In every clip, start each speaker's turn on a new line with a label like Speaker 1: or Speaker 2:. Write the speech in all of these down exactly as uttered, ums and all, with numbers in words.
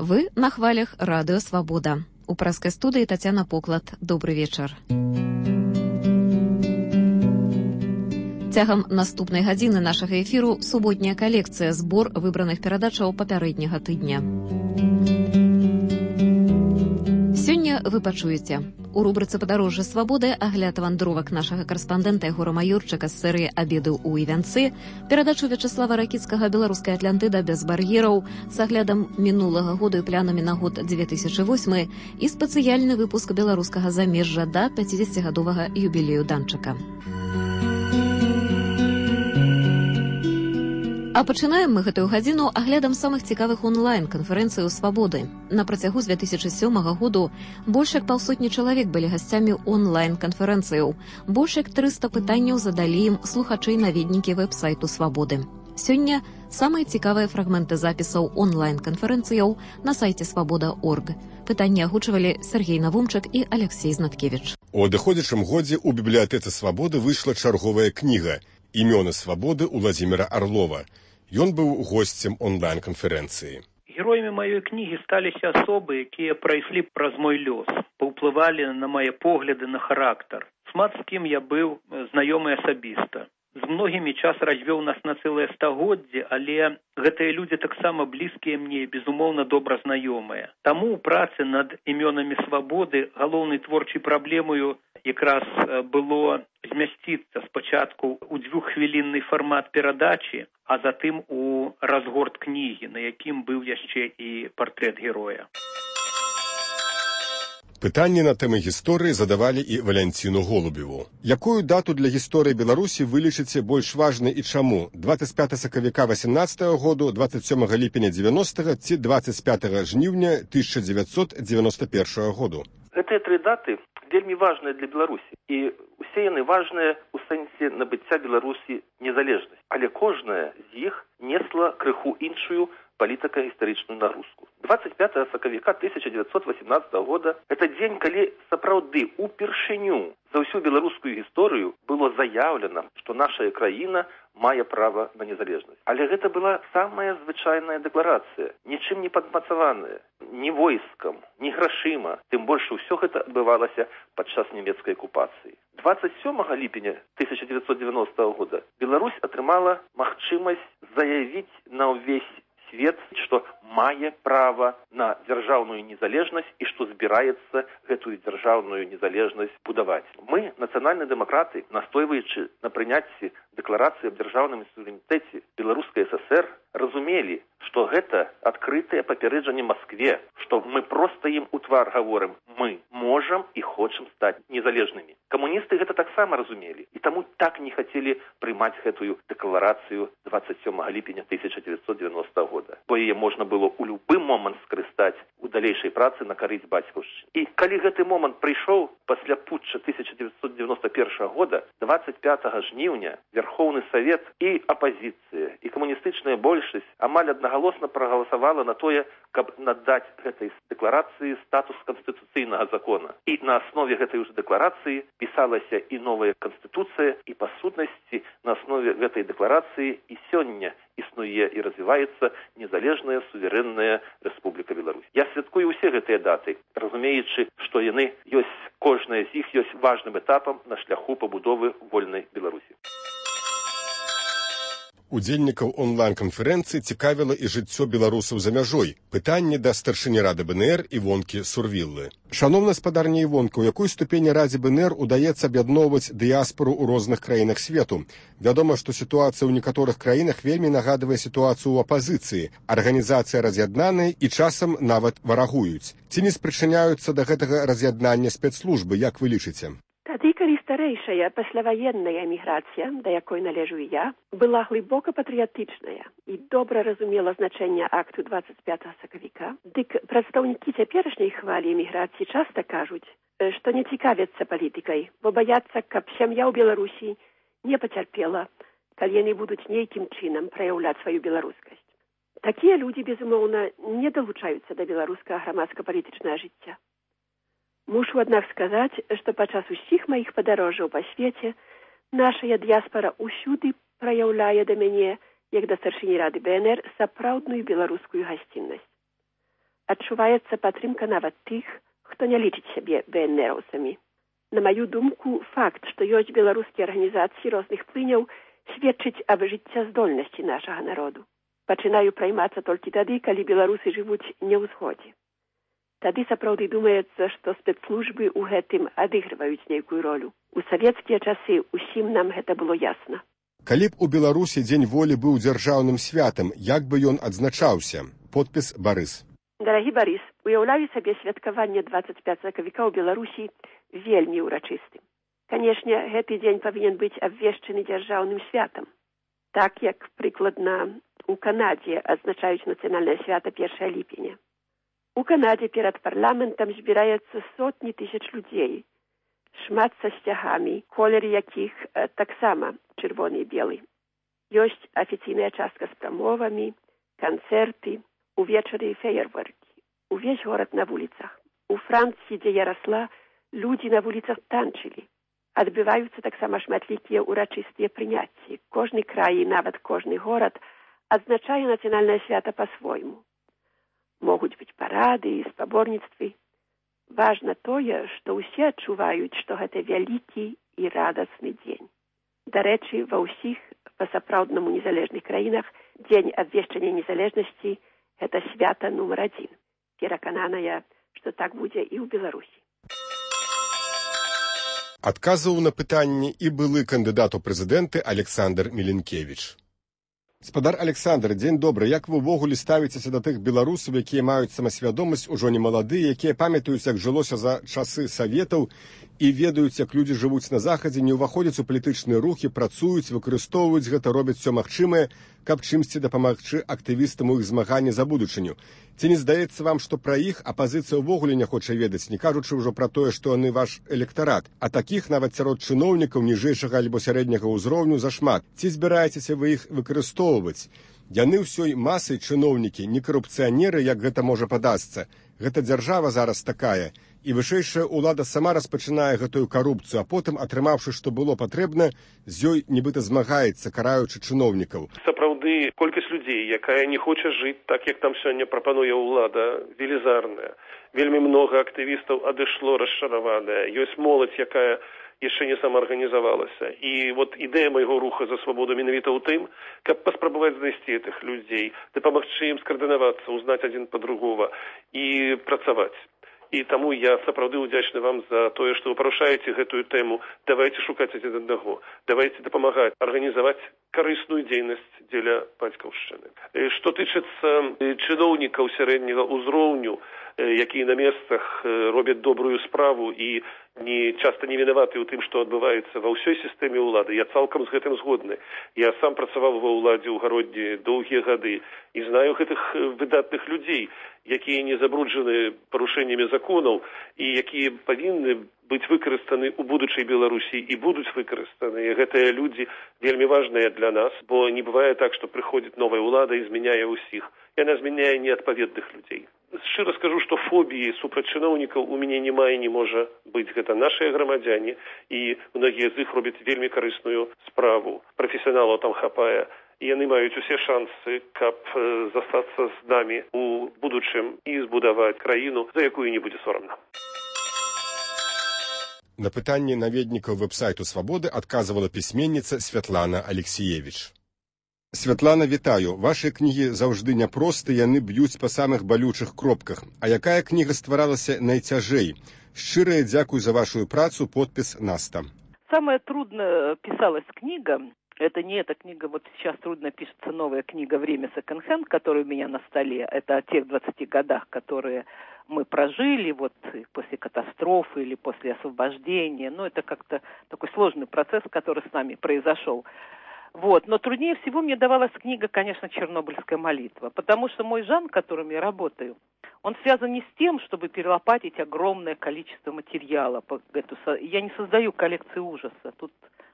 Speaker 1: Вы на хвалях Радыё Свабода. У прэскай студыі Тацяна Поклад. Добры вечар. Цягам наступнай гадзіны нашага эфіру суботняя калекцыя, збор выбраных перадачаў папярэдняга тыдня. Сёння вы пачуеце. У рубрыцы «Падарожжа свабоды» агляд вандровак нашага карэспандэнта Егора Маёрчыка з серыі «Абеды ў Івянцы», перадачу Вячеслава Ракіцкага «Беларуская Атлантыда без бар'ераў» з аглядам мінулага году і планамі на год дзве тысячы восьмы і спецыяльны выпуск беларускага замежжа да пяцідзесяцігадовага юбілею Данчыка. А пачынаем мы гэтую гадзіну аглядам самых цікавых онлайн-канферэнцый у «Свабоды». На працягу з дзве тысячы сёмага году больш як паўсотні чалавек былі гасцямі онлайн-канферэнцыяў. Больш як трыста пытанняў задалі ім слухачы-наведнікі вэб-сайту «Свабоды». Сёння самыя цікавыя фрагменты запісаў онлайн-канферэнцыяў на сайце свабода точка орг. Пытанні агучвалі Сергей Навумчык і Алексей Знаткевіч.
Speaker 2: У адыходзячым годзе ў бібліятэцы «Свабоды» выйшла чарговая кніга «Імёны свабоды» Уладзіміра Арлова. Ён быў госцем онлайн-канферэнцыі.
Speaker 3: Героямі маёй кнігі сталіся асобы, якія прайшлі праз мой лёс, паўплывалі на мае погляды на характар. Шмат з кім я быў знаёмы асабіста. З многімі час развёў нас на цэлае стагоддзе, але гэтыя людзі таксама блізкія мне і, безумоўна, добра знаёмыя. Таму ў працы над імёнамі свабоды галоўнай творчай праблемаю якраз было змясціцца спачатку ў дзвюххвілінны фармат перадачы, а затым у разгорт кнігі, на якім быў яшчэ і партрэт героя.
Speaker 2: Пытанні на тэмы гісторыі задавалі і Валянціну Голубеву. Якую дату для гісторыі Беларусі вы лічыце больш важнай і чаму? дваццаць пятага сакавіка васемнаццатага году, дваццаць сёмага ліпеня дзевяностага ці дваццаць пятага жніўня тысяча дзевяцьсот девяносто першага году?
Speaker 4: Гэтыя тры даты вельмі важныя для Беларусі. І усе яны важныя ў сэнсе набыцця Беларусі незалежнасць. Але кожная з іх несла крыху іншую палітыка-гістарычную нагрузку. дваццаць пятага сакавіка тысяча дзевяцьсот васемнаццатага года это дзень, калі сапраўды упершыню за ўсю беларускую гісторыю было заяўлена, што наша краіна мае права на незалежнасць. Але гэта была самая звычайная дэкларацыя, нічым не падмацаваная, ні войскам, ні грашыма. Тым больш усё гэта адбывалася падчас нямецкай акупацыі. дваццаць сёмага ліпеня тысяча дзевяцьсот девяностага года Беларусь атрымала магчымасць заявіць на ўвесь свет, што мае права на дзяржаўную незалежнасць і што збіраецца гэтую дзяржаўную незалежнасць будаваць. Мы, нацыянальныя дэмакраты, настойваючы на прыняцці дэкларацыі аб дзяржаўным суверэнітэце Беларускай ССР, разумелі, што гэта адкрытае папярэджанне Маскве, што мы проста ім у твар гаворым: мы можам і хочам стаць незалежнымі. Камуністы гэта таксама разумелі, і таму так не хацелі прымаць гэтую дэкларацыю дваццаць сёмага ліпеня тысяча дзевяцьсот девяностага года, бо яе можна было ў любы момант скарыстаць у далейшай працы на карысць бацькаўшчыны. І калі гэты момант прыйшоў пасля путча тысяча дзевяцьсот девяносто першага года, дваццаць пятага жніўня Верхоўны Савет і апазіцыя, і камуністычная большасць амаль аднагалосна прагаласавала на тое, каб надаць гэтай дэкларацыі статус канстытуцыйнага закона. І на аснове гэтай уже дэкларацыі пісалася і новая канстытуцыя, і па сутнасці на аснове гэтай дэкларацыі і сёння існуе і развіваецца незалежная суверэнная Рэспубліка Беларусь. Я святкую ўсе гэтыя даты, разумеючы, што яны ёсць, кожная з іх ёсць важным этапам на шляху пабудовы вольнай Беларусі.
Speaker 2: Удзельнікаў онлайн-канферэнцыі цікавіла і жыццё беларусаў за мяжой. Пытанне да старшыні рады БНР Івонкі Сурвіллы. Шаноўна спадарня Івонка, у якой ступені радзе БНР удаецца аб'ядноўваць дыяспору ў розных краінах свету? Вядома, што сітуацыя ў некаторых краінах вельмі нагадвае сітуацыю ў апазіцыі. Арганізацыя раз'яднаная і часам нават варагуюць. Ці не спрычыняюцца да гэтага раз'яднання спецслужбы, як вы лічыце?
Speaker 5: Тады, калі старэйшая пасляваенная эміграцыя, да якой належу і я, была глыбока патрыятычная і добра разумела значэнне акту дваццаць пятага сакавіка, дык прадстаўнікі цяперашняй хвалі эміграцыі часта кажуць, што не цікавяцца палітыкай, бо баяцца, каб сям'я ў Беларусі не пацярпела, калі яны будуць нейкім чынам праяўляць сваю беларускасць. Такія людзі, безумоўна, не далучаюцца да беларускага грамадска-палітычнага жыцця. Мушу, аднак, сказаць, што падчас усіх маіх падарожжаў па свеце нашая дыяспара ўсюды праяўляе да мяне, як да старшыні рады БНР, сапраўдную беларускую гасціннасць. адчуваецца падтрымка нават тых, хто не лічыць сябе ВНРаўцамі. На маю думку, факт, што ёсць беларускія арганізацыі розных плыняў, сведчыць аб жыццяздольнасці нашага народу. Пачынаю праймацца толькі тады, калі беларусы жывуць не ў згодзе. Тады сапраўды думаецца, што спецслужбы ў гэтым адыгрываюць нейкую ролю. У савецкія часы ўсім нам гэта было ясна.
Speaker 2: Калі б у Беларусі дзень волі быў дзяржаўным святам, як бы ён адзначаўся? Подпіс Барыс.
Speaker 5: Дарагі Барыс, уяўляю сабе святкаванне двадцать пятого сакавіка ў Беларусі вельмі ўрачыстым. Канешне, гэты дзень павінен быць абвешчаны дзяржаўным святам. Так, як прыкладна у Канадзе адзначаюць нацыянальнае свята першага ліпеня. У Канадзе перад парламентам збіраецца сотні тысяч людзей, шмат са сцягамі, колер якіх э, таксама чырвоны і белы. Ёсць афіцыйная частка з прамовамі, канцэрты, увечары феерверкі. Увесь горад на вуліцах. У Францыі, дзе я расла, людзі на вуліцах танчылі. Адбываюцца таксама шматлікія ўрачыстыя прыняцці. Кожны край і нават кожны горад адзначае нацыянальнае свята па-свойму. Могуць быць парады і спаборніцтвы. Важна тое, што ўсе адчуваюць, што гэта вялікі і радасны дзень. Дарэчы, ва ўсіх па-сапраўднаму незалежных краінах дзень абвешчання незалежнасці – гэта свята нумар адзін. Перакананая, што так будзе і ў Беларусі.
Speaker 2: Адказваў на пытанне і былы кандыдат у прэзідэнты Александр Міленкевіч. Спадар Александр, дзень добры. Як вы ўвогуле ставіцеся да тых беларусаў, якія маюць самасвядомасць, ужо не маладыя, якія памятаюць, як жылося за часы саветаў і ведаюць, як людзі жывуць на захадзе, не ўваходзяць у палітычныя рухі, працуюць, выкарыстоўваюць гэта, робяць все магчымае, каб чымсьці дапамагчы актывістам у іх змаганні за будучыню. Ці не здаецца вам, што пра іх апазіцыя ўвогуле не хоча ведаць, не кажучы ўжо пра тое, што яны ваш электарат, а такіх нават сярод чыноўнікаў ніжэйшага альбо сярэдняга ўзроўню зашмат. Ці збіраецеся вы іх выкарыстоўваць? Яны ўсёй масай чыноўнікі, не карупцыянеры, як гэта можа падасца. Гэта дзяржава зараз такая, і вышэйшая ўлада сама распачынае гэтую карупцыю, а потым, атрымаўшы, што было патрэбна, з ёй нібыта змагаецца, караючы чыноўнікаў.
Speaker 6: Сапраўды, колькасць людзей, якая не хоча жыць так, як там сёння прапануе ўлада, велізарная. Вельмі многа актывістаў адышло расчараваная. Ёсць моладзь, якая яшчэ не самаарганізавалася. І вот ідэя майго руха за свабоду менавіта ў тым, каб паспрабаваць знайсці гэтых людзей, дапамагчы ім скаардынавацца, узнаць адзін па другога і працаваць. І таму я сапраўды ўдзячны вам за тое, што вы парушаеце гэтую тэму. Давайце шукаць адзін аднаго. Давайце дапамагаць арганізаваць карысную дзейнасць дзеля бацькаўшчыны. Што тычыцца чыноўнікаў сярэдняга ўзроўню, якія на месцах робяць добрую справу і не часта не вінаваты ў тым, што адбываецца ва ўсёй сістэме ўлады. Я цалкам з гэтым згодны. Я сам працаваў ва ўладзе ў гародні доўгія гады і знаю гэтых выдатных людзей, якія не забруджаны парушэннямі законаў і якія павінны быць выкарыстаны ў будучай Беларусі і будуць выкарыстаны. Гэтыя людзі вельмі важныя для нас, бо не бывае так, што прыходзіць новая ўлада і змяняе ўсіх. Яна змяняе неадпаведных людзей. Шчыра скажу, што фобіі супраць чыноўнікаў у мяне няма і не можа быць. Гэта нашыя грамадзяне, і многія з іх робяць вельмі карысную справу. Прафесіяналаў там хапае, і яны маюць усе шансы, каб застацца з намі у будучым і збудаваць краіну, за якую не будзе сорамна.
Speaker 2: На пытанне наведнікаў вэб-сайту «Свабоды» адказвала пісьменніца Святлана Алексіевіч. Святлана, вітаю. Вашыя кнігі заўжды няпросты, яны б'юць па самых балючых кропках. А якая кніга стваралася найцяжэй? Шчырая дзякуй за вашу працу, подпіс Наста.
Speaker 7: Самое трудно писалась книга. Это не эта книга, вот сейчас трудно пишется новая книга «Время секонд-хенд», которая у меня на столе. Это о тех двадцати годах, которые мы прожили вот после катастрофы или после освобождения. Ну, это как-то такой сложный процесс, который с нами произошел. Вот. Но труднее всего мне давалась книга, конечно, «Чернобыльская молитва», потому что мой жанр, которым я работаю, он связан не с тем, чтобы перелопатить огромное количество материала. Я не создаю коллекции ужаса. Тут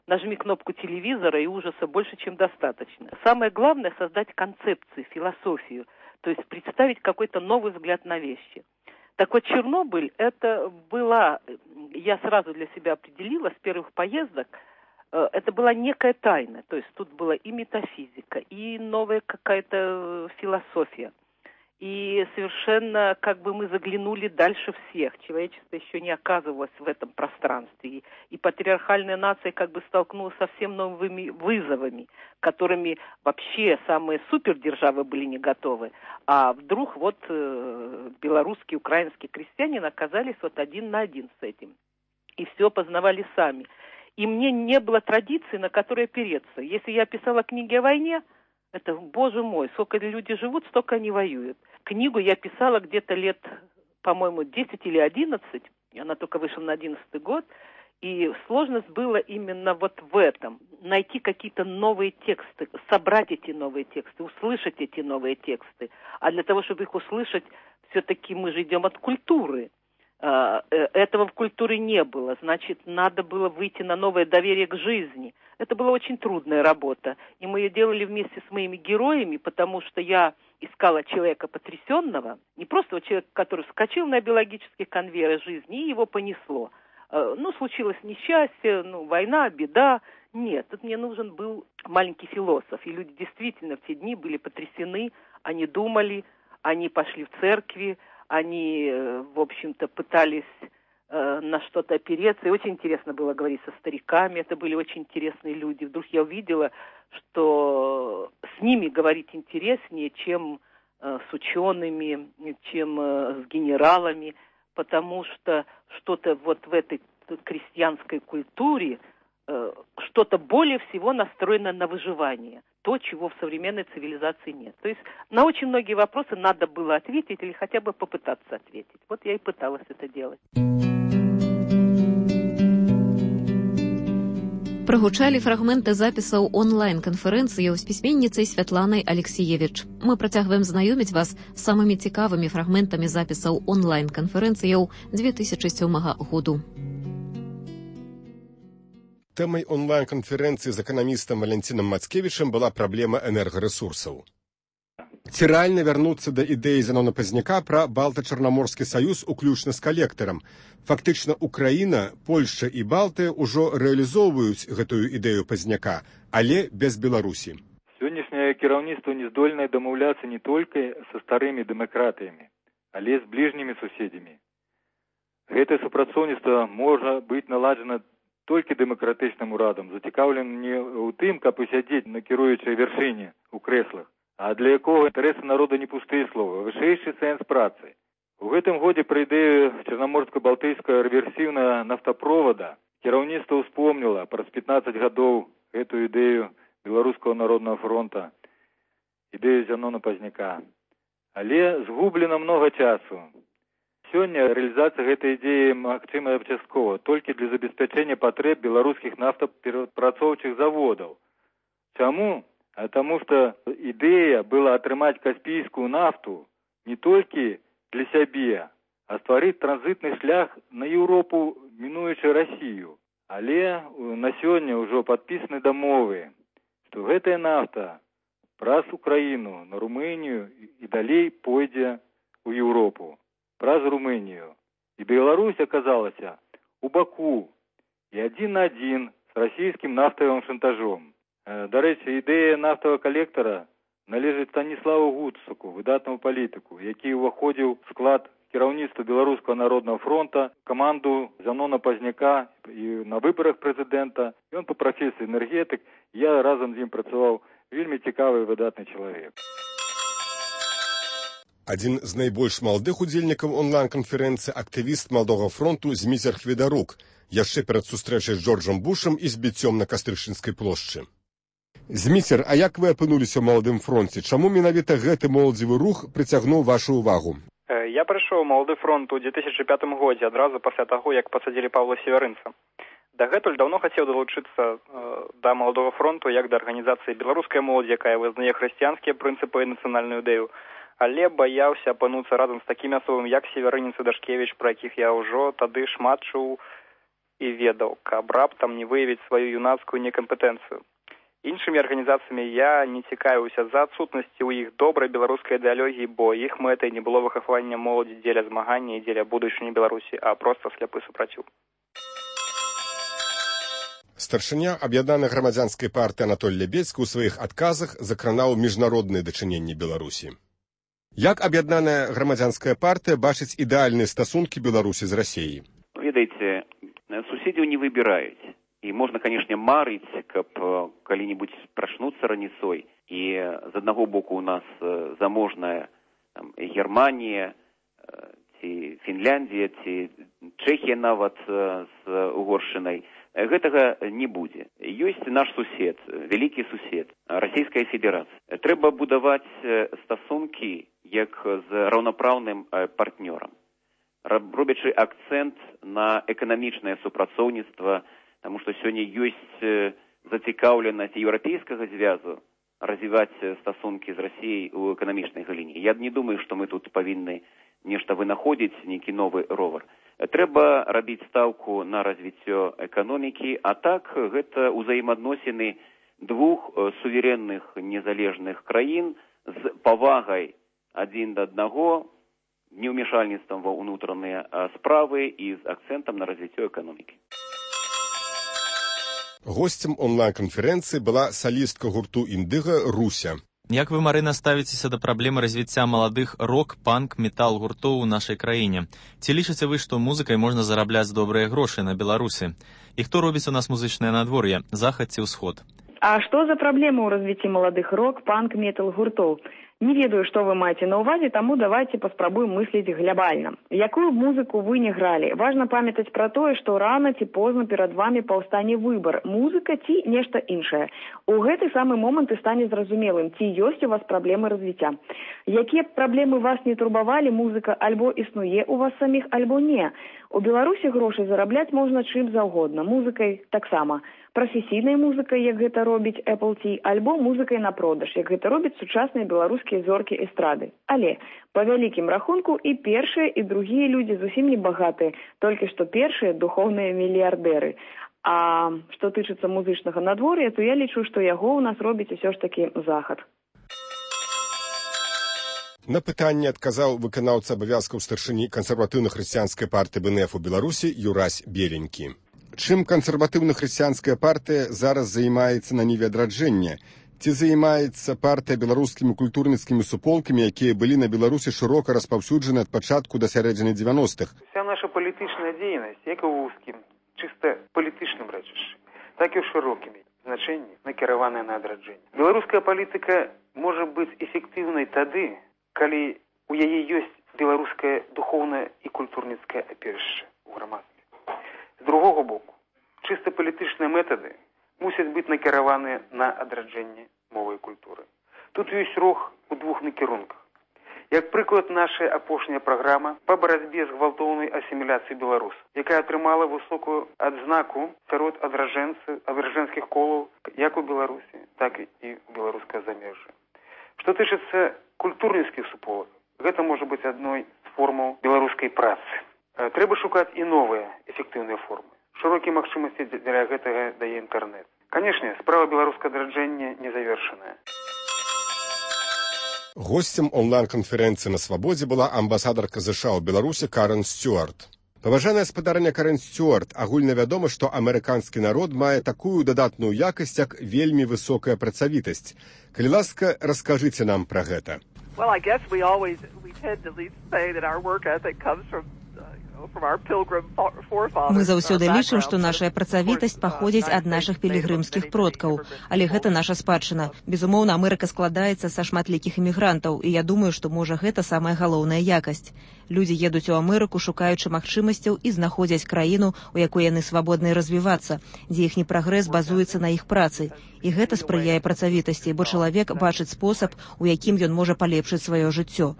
Speaker 7: нажми кнопку телевизора, и ужаса больше, чем достаточно. Самое главное – создать концепцию, философию, то есть представить какой-то новый взгляд на вещи. Так вот, Чернобыль – это была, я сразу для себя определила с первых поездок, это была некая тайна, то есть тут была и метафизика, и новая какая-то философия. И совершенно как бы мы заглянули дальше всех. Человечество еще не оказывалось в этом пространстве. И, и патриархальная нация как бы столкнулась со совсем новыми вызовами, которыми вообще самые супердержавы были не готовы. А вдруг вот э, белорусские, украинские крестьяне оказались вот один на один с этим. И все познавали сами. И мне не было традиции, на которой опереться. Если я писала книги о войне, это, боже мой, сколько люди живут, столько они воюют. Книгу я писала где-то лет, по-моему, десять или одиннадцать. Она только вышла на одиннадцатый год. И сложность была именно вот в этом. Найти какие-то новые тексты, собрать эти новые тексты, услышать эти новые тексты. А для того, чтобы их услышать, все-таки мы же идем от культуры. Этого в культуре не было. Значит, надо было выйти на новое доверие к жизни. Это была очень трудная работа. И мы ее делали вместе с моими героями, потому что я искала человека потрясенного, не просто человека, который вскочил на биологический конвейер жизни, и его понесло. Ну, случилось несчастье, ну, война, беда. Нет, тут мне нужен был маленький философ. И люди действительно в те дни были потрясены, они думали, они пошли в церкви, они, в общем-то, пытались э, на что-то опереться. И очень интересно было говорить со стариками. Это были очень интересные люди. Вдруг я увидела, что с ними говорить интереснее, чем э, с учеными, чем э, с генералами, потому что что-то вот в этой крестьянской культуре, э, что-то более всего настроено на выживание. То, чего в современной цивилизации нет. То есть на очень многие вопросы надо было ответить или хотя бы попытаться ответить. Вот я и пыталась это делать.
Speaker 1: Прагучалі фрагменты запісаў онлайн-канферэнцыяў з пісьменніцай Святланай Алексіевіч. Мы працягваем знаёміць вас з самымі цікавымі фрагментамі запісаў онлайн-канферэнцыяў две тысячи сёмага году.
Speaker 2: Тэмай онлайн-канферэнцыі з эканамістам Валентинам Мацкевічам была праблема энергарэсурсаў. Ці рэальна вярнуцца да ідэі Зянона Пазняка пра Балта-Чарнаморскі саюз уключна з калектарам? Фактычна, Украіна, Польшча і Балтыя ўжо рэалізоўваюць гэтую ідэю Пазняка, але без Беларусі.
Speaker 8: Сённяшняе кіраўніцтва не здольнае дамаўляцца не толькі са старымі дэмакратыямі, але з бліжнімі суседзямі. Гэтае супрацоўніцтва можа быць наладжана толькі дэмакратычным урадам, зацікаўленым не ў тым, каб усядзець на кіруючай вяршыні ў крэслах, а для якога інтарэсы народа не пустыя словы, а вышэйшы сэнс працы. У гэтым годзе пры ідэю чарнаморска-балтыйскага рэверсіўнага нафтапровода кіраўніцтва ўспомніла праз пятнаццаць гадоў гэтую ідэю Беларускага народнага фронта, ідэю Зянона Пазняка. Але згублена многа часу. Сёння рэалізацыя гэтай ідэі магчымая часткова толькі для забеспячэння патрэб беларускіх нафтаперапрацоўчых заводаў. Чаму? А таму што ідэя была атрымаць каспійскую нафту не толькі для сябе, а стварыць транзітны шлях на Еўропу, мінуючы Расію. Але на сёння ўжо падпісаны дамовы, што гэтая нафта праз Украіну на Румынію і далей пойдзе ў Еўропу. Праз Румынію. І Беларусь аказалася у баку і адзін на адзін з расійскім нафтавым шантажом. Дарэчы, ідэя нафтавага калектара належыць Станіславу Гуцаку, выдатнаму палітыку, які ўваходзіў в склад кіраўніцтва Беларускага народнага фронта, каманду Зянона Пазняка і на выбарах прэзідэнта. Ён па прафесіі энергетык, я разам з ім працаваў, вельмі цікавы і выдатны чалавек.
Speaker 2: Адзін з найбольш маладых удзельнікаў онлайн-канферэнцыі актывіст Маладога фронту Зміцер Хведарук, яшчэ перад сустрэчай з Джорджам Бушам і збіццём на Кастрычніцкай плошчы. Зміцер, а як вы апынуліся ў Маладым фронце? Чаму менавіта гэты моладзевы рух прыцягнуў вашу ўвагу?
Speaker 9: Я прыйшоў у Малады фронт у две тысячи пятым годзе, адразу пасля таго, як пасадзілі Паўла Северынца. Дагэтуль даўно хацеў далучыцца э, да Маладога фронту як да арганізацыі беларускай моладзі, якая вызнае хрысціянскія прынцыпы і нацыянальную ідэю, але баяўся апынуцца разам з такімі асобамі, як Северынец і Дашкевіч, пра якіх я ўжо тады шмат чуў і ведаў, каб раптам не выявіць сваю юнацкую некампетэнцыю. Іншымі арганізацыямі я не цікавіўся за адсутнасці ў іх добрай беларускай ідэалогіі, бо іх мэтай не было выхавання моладзі дзеля змагання і дзеля будучыні Беларусі, а проста сляпы супраціў.
Speaker 2: Старшыня аб'яднанай грамадзянскай партыі Анатоль Лебедзькі ў сваіх адказах закранаў міжнародныя дачыненні Беларусі. Як аб'яднаная грамадзянская партыя бачыць ідэальныя стасункі Беларусі з Расіяй?
Speaker 10: Ведаеце, суседзяў не выбіраюць. І можна, канешне, марыць, каб калі-небудзь прачнуцца раніцой. І з аднаго боку у нас заможная там, Германія, ці Фінляндія, ці Чэхія нават з Угоршчынай. Гэтага не будзе. Ёсць наш сусед, вялікі сусед, Расійская Федэрацыя. Трэба будаваць стасункі як з раўнапраўным партнёрам, робячы акцэнт на эканамічнае супрацоўніцтва, таму што сёння ёсць зацікаўленасць еўрапейскага звязу развіваць стасункі з Расіяй у эканамічнай галіне. Я не думаю, што мы тут павінны нешта вынаходзіць, нейкі новы ровар. Трэба рабіць стаўку на развіццё эканомікі, а так гэта ўзаемаадносіны двух суверэнных незалежных краін з павагай адзін да аднаго, неўмешальніцтвам ва ўнутраныя справы і з акцэнтам на развіццё эканомікі.
Speaker 2: Госцем онлайн-канферэнцыі была салістка гурту «Індыга» Руся.
Speaker 11: Як вы, Марына, ставіцеся да праблемы развіцця маладых рок, панк, метал гуртоў у нашай краіне? Ці лічыце вы, што музыкай можна зарабляць добрыя грошы на Беларусі? І хто робіць у нас музычнае надвор'е, захад ці ўсход?
Speaker 12: А што за праблема ў развіцці маладых рок, панк, метал гуртоў? Не ведаю, што вы маеце на ўвазе, таму давайце паспрабуем мысліць глябальна. Якую музыку вы не гралі? Важна памятаць пра тое, што рана ці позна перад вамі паўстане выбар, музыка ці нешта іншае. У гэты самы момант і стане зразумелым, ці ёсць у вас праблемы развіцця. Якія праблемы вас не турбавалі, музыка альбо існуе у вас саміх, альбо не. У Беларусі грошай зарабляць можна чым заўгодна, музыкай таксама. Прафесійнай музыкай, як гэта робіць Apple T, альбо музыкай на продаж, як гэта робяць сучасныя беларускія зоркі эстрады. Але, па вялікім рахунку, і першыя, і другія людзі зусім не багатыя, толькі што першыя духоўныя мільярдэры. А што тычыцца музычнага надвор'я, то я лічу, што яго ў нас робіць усё ж такі захад.
Speaker 2: На пытанне адказаў выканаўца абавязкаў старшыні кансерватыўна-хрысціянскай партыі бэ эн эф у Беларусі Юрась Беленькі. Чым кансерватыўна-хрысціянская партыя зараз займаецца на ніве адраджэння? Ці займаецца партыя беларускімі культурніцкімі суполкамі, якія былі на Беларусі шырока распаўсюджаны ад пачатку да сярэдзіны дзевяностых?
Speaker 13: Вся наша палітычная дзейнасць, як і ў вузкім, чыста палітычным рэчышчы, так і ў шырокімі значэнні, накіраваная на адраджэнне. Беларуская палітыка можа быць эфектыўнай тады, калі у яе ёсць беларускае духоўнае і культурніцкае апірышча ў грамадстве. З другого боку, чыста палітычныя метады мусяць быць накіраваныя на адраджэнне мовы і культуры. Тут ёсць рух у двух накірунках. Як прыклад, наша апошняя праграма па барацьбе з гвалтоўнай асіміляцыі беларусаў, якая атрымала высокую адзнаку сярод адраджэнскіх колаў як у Беларусі, так і ў беларускае замежжа. Што тычыцца культурніцкіх суполак, гэта можа быць адной з формаў беларускай працы. Трэба шукаць і новыя эфектыўныя формы. Шырокія магчымасці для гэтага дае інтэрнэт. Канешне, справа беларускага адраджэння не завершаная.
Speaker 2: Госцем онлайн-канферэнцыі на Свабодзе была амбасадарка ЗША ў Беларусі Карен Стюарт. Паважаная спадарня Карен Стюарт, агульна вядома, што амерыканскі народ мае такую дадатную якасць, як вельмі высокая працавітасць. Калі ласка, раскажыце нам пра гэта.
Speaker 14: Well, I guess we always we tend to say that our work ethic comes from
Speaker 15: Мы заўсёды лічым, што нашая працавітасць паходзіць ад нашых пілігрымскіх продкаў, але гэта наша спадчына. Безумоўна, Амерыка складаецца са шматлікіх імігрантаў, і я думаю, што можа гэта самая галоўная якасць. Людзі едуць у Амерыку, шукаючы магчымасцяў і знаходзяць краіну, у якой яны свабодна развівацца, дзе іхні прагрэс базуецца на іх працы. І гэта спрыяе працавітасці, бо чалавек бачыць спосаб, у якім ён можа палепшыць сваё жыццё.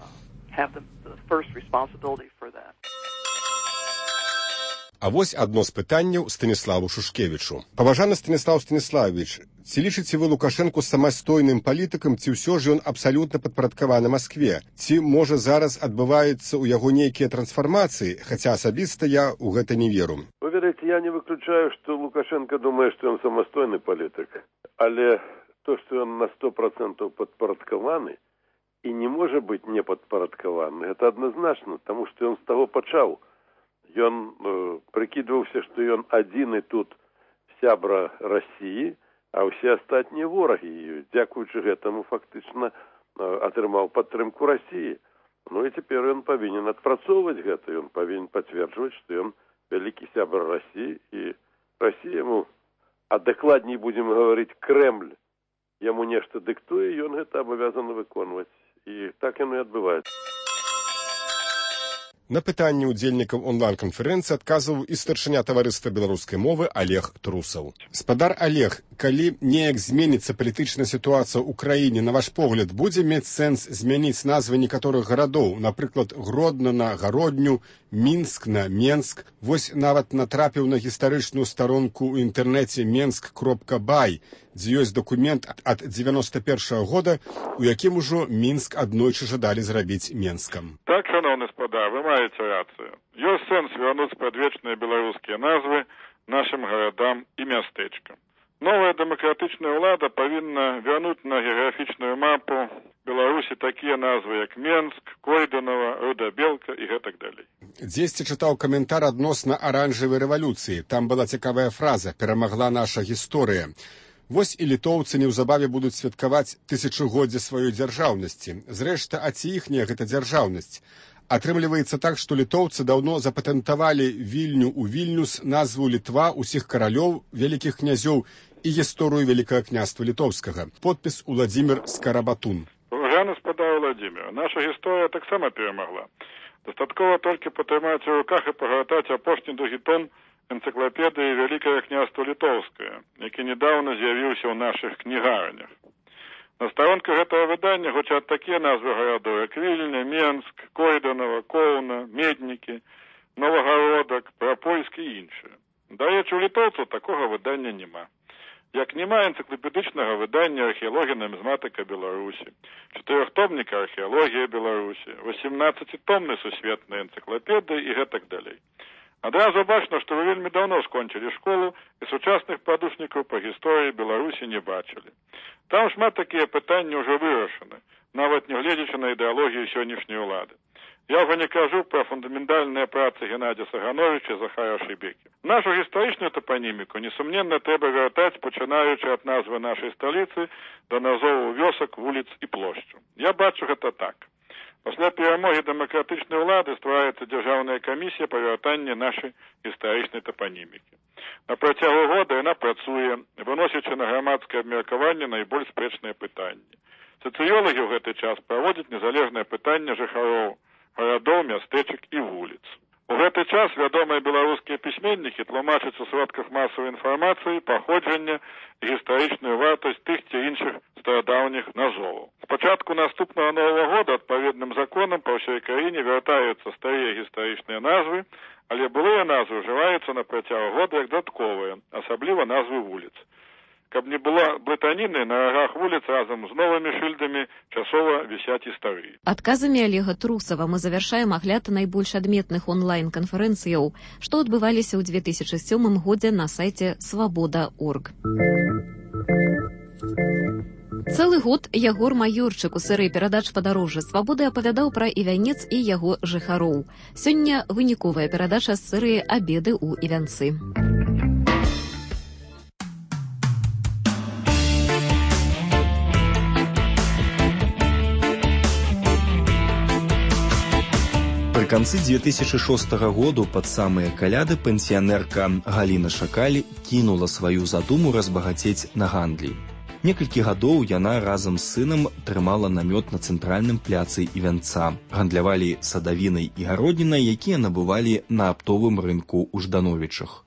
Speaker 2: А вось адно з пытанняў Станіславу Шушкевічу. Паважаны Станіслав Станіславович, ці лічыце вы Лукашэнку самастойным палітыкам, ці ўсё ж ён абсалютна падпарадкаваны Маскве? Ці, можа, зараз адбываюцца ў яго нейкія трансфармацыі, хаця асабіста я ў гэта не веру?
Speaker 16: Вы ведаеце, я не выключаю, што Лукашенко думае, што ён самастойны палітык. Але то, што ён на сто процентаў падпарадкаваны і не можа быць не падпарадкаваны, гэта адназначна, таму што ён з таго пачаў. Ён э, прыкідваўся, што ён адзіны тут сябра Расіі, а ўсе астатнія ворагі. І дзякуючы гэтаму фактычна атрымаў падтрымку Расіі. Ну і цяпер ён павінен адпрацоўваць гэта, ён павінен пацверджваць, што ён вялікі сябар Расіі, і Расія яму, а дакладней будзем гаварыць, Крэмль яму нешта дыктуе, ён гэта абавязаны выконваць. І так яно і адбываецца.
Speaker 2: На пытанні ўдзельнікаў онлайн-канферэнцыі адказваў і старшыня таварыства беларускай мовы Олег Трусаў. Спадар Олег, калі неяк зменіцца палітычная сітуацыя ў краіне, на ваш погляд, будзе мець сэнс змяніць назвы некаторых гарадоў, напрыклад, Гродно на Гародню, Мінск на Менск. Вось нават натрапіў на гістарычную старонку ў інтэрнэце менск кропка бай, дзе ёсць дакумент ад дзевяноста першага года, у якім ужо Мінск аднойчы жадалі зрабіць Менскам.
Speaker 17: Так, шановны спадар, вы маеце рацыю. Ёсць сэнс вярнуць спрадвечныя беларускія назвы нашым гарадам і мястэчкам. Новая дэмакратычная ўлада павінна вярнуць на геаграфічную мапу Беларусі такія назвы, як Менск, Койданова, Рудабелка і гэтак далей.
Speaker 2: Дзесьці чытаў каментар адносна аранжавай рэвалюцыі. Там была цікавая фраза «Перамагла наша гісторыя». Вось і літоўцы неўзабаве будуць святкаваць тысячагоддзе сваёй дзяржаўнасці. Зрэшты, а ці іхняя гэта дзяржаўнасць? Атрымліваецца так, што літоўцы даўно запатэнтавалі Вільню ў Вільнюс, назву Літва, усіх каралёў, вялікіх князёў і гісторыю Вялікага княства Літоўскага. Подпіс Уладзімір Скарабатун.
Speaker 17: Уважаемый спадар Владимир, наша гісторыя таксама перамагла. Дастаткова толькі патрымаць у руках і пагартаць апошні другі том энцыклапедыі Вялікае княства Літоўскае, які нядаўна з'явіўся ў нашых кнігарнях. На старонках гэтага выдання гучаць такія назвы гарадоў, як Вільня, Менск, Койданова, Коўна, Меднікі, Новагародак, Прапольск і іншыя. Дарэчы, у літоўцаў такога выдання няма. Як няма энцыклапедычнага выдання археалогія нумізматыка Беларусі, чатырохтомніка археалогія Беларусі, восемнаццацітомнай сусветнай энцыклапедыі і гэтак далей. Адразу бачна, што вы вельмі даўно скончылі школу і сучасных падручнікаў па гісторыі Беларусі не бачылі. Там шмат такія пытанні ўжо вырашаны, нават не гледзячы на ідэалогію сённяшняй улады. Я ўжо не кажу пра фундаментальныя працы Геннадзя Сагановича і Захара Шыбекі. Нашу гістарычную топаніміку, несумненна, трэба вяртаць, пачынаючы ад назвы нашай сталіцы да назову вёсак, вуліц і плошчу. Я бачу гэта так. Пасля перамогі дэмакратычнай улады ствараецца дзяржаўная камісія па вяртанні нашай гістарычнай топанімікі. На працягу года яна працуе, выносячы на грамадскае абмеркаванне найбольш спрэчныя пытанні. Сацыёлагі ў гэты час праводзяць незалежнае пытанне жыхароў гарадоў, мястэчак і вуліц. У гэты час вядомыя беларускія пісьменнікі тлумачаць у сродках масавай інфармацыі паходжанне і гістарычную вартасць тых ці іншых старадаўніх назоваў. З пачатку наступнага новага года адпаведным законам па ўсёй краіне вяртаюцца старыя гістарычныя назвы, але былыя назвы ўжываюцца на працягу года як дадатковыя, асабліва назвы вуліц. Каб не было блытаніны, на рагах вуліц разам з новымі шыльдамі часова вісяць і старыя.
Speaker 1: Адказамі Олега Трусава мы завяршаем агляд найбольш адметных онлайн-канферэнцыяў, што адбываліся ў две тысячы сёмым годзе на сайце свабода точка орг. Цэлы год Ягор Маёрчык у серыі перадач «Падарожжа свабоды» апавядаў пра Івянец і яго жыхароў. Сёння выніковая перадача з серыі «Абеды ў Івянцы».
Speaker 18: Пры канцы две тысячы шостага году пад самыя каляды пенсіянерка Галіна Шакаль кінула сваю задуму разбагацець на гандлі. Некалькі гадоў яна разам з сынам трымала намёт на цэнтральным пляцы Івянца. Гандлявалі садавінай і гароднінай, якія набывалі на аптовым рынку ў Ждановічах.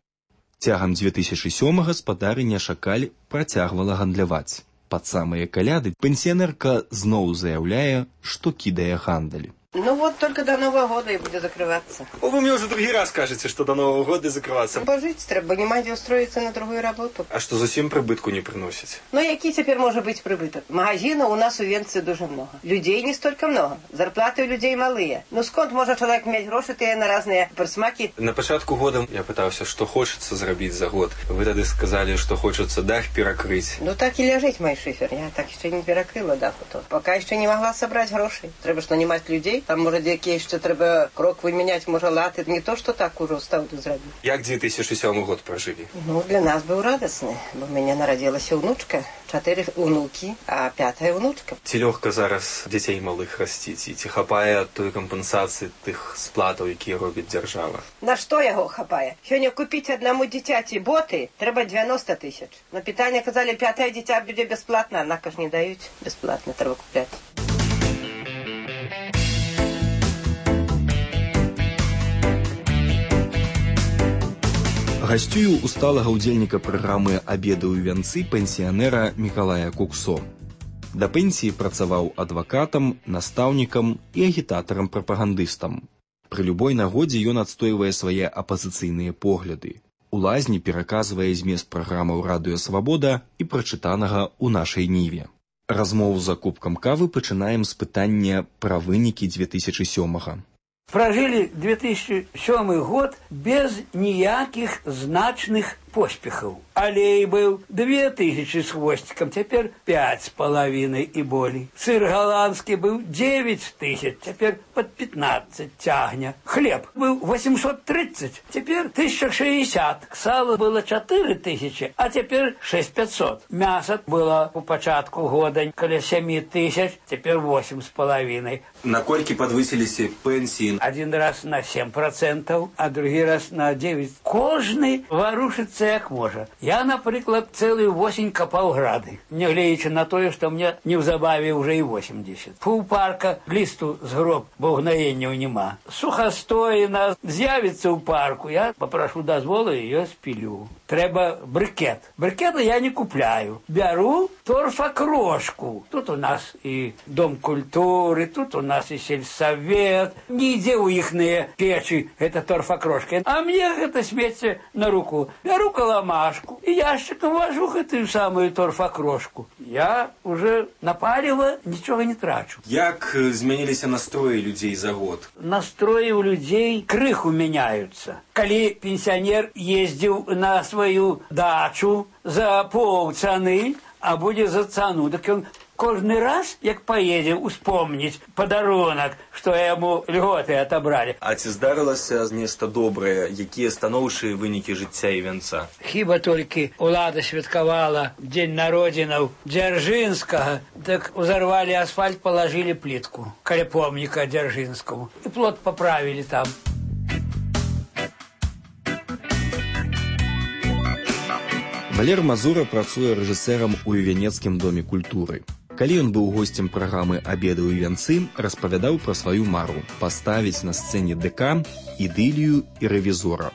Speaker 18: Цягам две тысячы сёмага спадарыня Шакаль працягвала гандляваць. Пад самыя каляды пенсіянерка зноў заяўляе, што кідае гандаль.
Speaker 19: Ну вот, только до Нового года и будет закрываться.
Speaker 18: О, вы мне уже другий раз кажете, что до Нового года закрываться.
Speaker 19: Пожить треба, не мать устроиться на другую работу.
Speaker 18: А что, зусім прибытку не приносит?
Speaker 19: Ну, який теперь может быть прибыток? Магазинов у нас у Венции дуже много. Людей не столько много. Зарплаты у людей малые. Ну, сконт може человек иметь гроши те на разные присмаки?
Speaker 18: На початку года я пытался, что хочется зробить за год. Вы тогда сказали, что хочется дах перекрыть.
Speaker 19: Ну, так и лежить, мой шифер. Я так еще не перекрыла дах. Пока еще не могла собрать гроши. Треба ж нанимать людей. прыйшлі. Там, можа, якія яшчэ трэба крок вымяняць, можа, латы. Не то, што так ужо стаўду зрабіць.
Speaker 20: Як две тысячи сёмы год пражылі?
Speaker 19: Ну, для нас быў радасны, бо ў мяне нарадзілася ўнучка, чатыры ўнукі, а пятая ўнучка.
Speaker 20: Ці лёгка зараз дзяцей малых расціць? І ці хапае той кампенсацыі тых сплатаў, якія робіць дзяржава?
Speaker 19: На што яго хапае? Сёння купіць аднаму дзіцяці боты трэба девяносто тысяч. На пытанне казалі, пятае дзіця будзе бясплатна, аднак ж не даюць. Бясплатна трэба купляць.
Speaker 18: Гасцюю у сталага ўдзельніка праграмы «Абеды ў вянцы» пенсіянера Мікалая Куксо. Да пенсіі працаваў адвакатам, настаўнікам і агітатарам-прапагандыстам. Пры любой нагодзе ён адстойвае свае апазіцыйныя погляды. У лазні пераказвае змест праграмаў «Радыё Свабода» і прачытанага ў нашай ніве. Размову за кубкам кавы пачынаем з пытання пра вынікі две тысячи сёмага.
Speaker 21: Прожили две тысячи сёмы год без ніякіх значных поспехаў. Алей быў две тысячи с хвостиком, теперь пять с половиной и болей. Сыр голландский был девять тысяч, теперь под пятнадцать тягне. Хлеб был восемьсот тридцать, теперь тысяча шестьдесят. Сало было четыре тысячи, а теперь шесть пятьсот. Мясо было у початку года каля семь тысяч, теперь восемь с половиной.
Speaker 20: На колькі подвысились пенсии?
Speaker 21: Один раз на семь процентов, а другой раз на девять. Кожный ворушится як можа. Я, наприклад, цэлую восень капаў грады, нягледзячы на тое, што мне неўзабаве ўжо і восемьдесят. Паўпарка лісту з гроб, бо гнаенняў няма. Сухастоіна з'явіцца ў парку, я папрашу дазволу і ее спілю. Трэба брыкет. Брыкета я не купляю. Бяру торфакрошку. Тут у нас і дом культуры, тут у нас і сельсавет. Не ідзе ў іхныя печы гэта торфакрошка. А мне гэта смецце на руку. Бяру каламашку і яшчыкам вожу гэтую самую торфакрошку. Я уже на паліва нічога не трачу.
Speaker 20: Як змяніліся настроі людзей за год?
Speaker 21: Настроі ў людзей крыху мяняюцца. Калі пенсіянер ездзіў на сваю дачу за паўцаны, а будзе за цану, так ён кожны раз, як поедзе, успомніць падарунак, што яму льготы отобрали.
Speaker 20: А ці здарылася нешта добрае, якія станоўчыя вынікі жыцця і вянца?
Speaker 21: Хіба толькі улада святкавала дзень народзінаў Дзяржынскага, так узарвалі асфальт, палажылі плітку каля помніка Дзяржынскаму. І плот паправілі там.
Speaker 18: Валер Мазура працуе рэжысэрам у Венецкім доме культуры. Калі ён быў госцем праграмы «Абеды ў вянцы», распавядаў пра сваю мару паставіць на сцэне ДК, ідылію і рэвізора.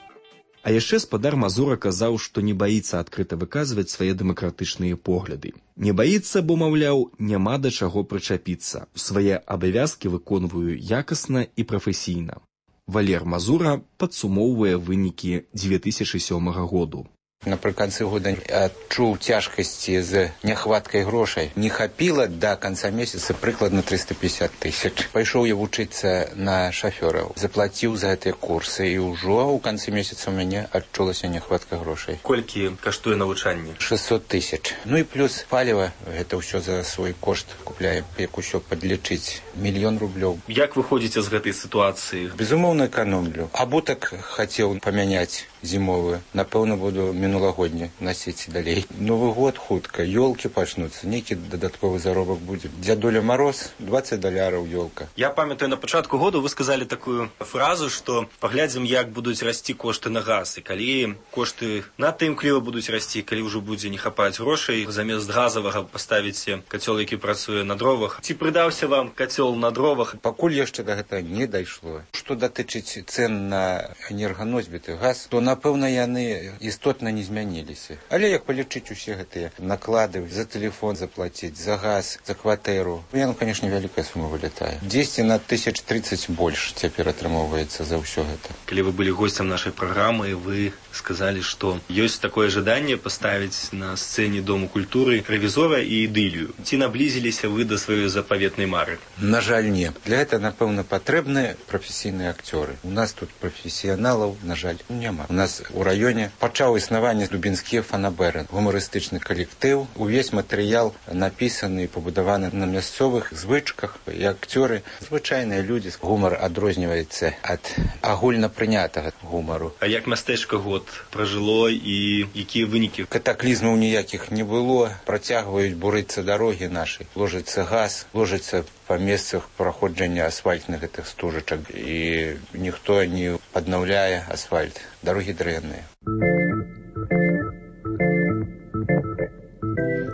Speaker 18: А яшчэ спадар Мазура казаў, што не баіцца адкрыта выказваць свае дэмакратычныя погляды. Не баіцца, бо, маўляў, няма да чаго прычапіцца. Свае абавязкі выконваю якасна і прафесійна. Валер Мазура падсумоўвае вынікі две тысячи сёмага году.
Speaker 22: Напрыканцы года адчуў цяжкасці з няхваткай грошай. Не хапіла да канца месяца прыкладна триста пятьдесят тысяч. Пайшоў я вучыцца на шафёраў, заплаціў за гэтыя курсы і ўжо ў канцы месяца ў мяне адчулася няхватка грошай.
Speaker 20: Колькі каштуе навучанне?
Speaker 22: шестьсот тысяч. Ну і плюс паліва, гэта ўсё за свой кошт купляем, як усё падлічыць. Мільён рублёў.
Speaker 20: Як выходзіце з гэтай сітуацыі?
Speaker 22: Безумоўна, эканомлю. Абутак хацеў памяняць зімовую. Напэўна, буду мінулагодні насіць далей. Новы год хутка, ёлкі пачнуцца, нейкі дадатковы заробак будзе. Дзядуля Мароз, двадцать даляраў ёлка.
Speaker 20: Я памятаю, на пачатку году вы сказалі такую фразу, што паглядзім, як будуць расці кошты на газ. І калі кошты надта імкліва будуць расці, калі ўжо будзе не хапаць грошай, замест газавага паставіце кацёл, які працуе на дровах. Ці прыдаўся вам кацёл на дровах?
Speaker 22: Пакуль яшчэ да гэтага не дайшло. Што датычыць цэн на энерганосьбіты газ, то напэўна яны істотна не змяніліся. Але як палічыць усе гэтыя наклады за тэлефон заплаціць, за газ, за кватэру, яно, канешне, вялікая сума вылетае. дзесяць на тысяч тридцать больш цяпер атрымоўваецца за ўсё гэта.
Speaker 20: Калі вы былі госцем нашай праграмы, вы сказалі, што ёсць такое жаданне паставіць на сцэне Дому культуры рэвізора і ідылію. Ці наблізіліся вы да сваёй запаветнай мары?
Speaker 22: На жаль, не. Для гэта, напэўна, патрэбны прафесійныя акцёры. У нас тут прафесіяналаў, на жаль, няма. У нас у раёне пачаў існаванне Лубінскія фанабэры, гумарыстычны калектыў. Увесь матэрыял напісаны і пабудаваны на мясцовых звычках, і акцёры звычайныя людзі. Гумар адрозніваецца ад агульнапрынятага гумару.
Speaker 20: А як мястэчка год пражыло і якія вынікі?
Speaker 22: Катаклізмаў ніякіх не было, працягваюць бурыцца дарогі нашы, ложыцца газ, ложыцца па месцах праходжання асфальтных гэтых стужачак, і ніхто не аднаўляе асфальт. Дарогі дрэнныя.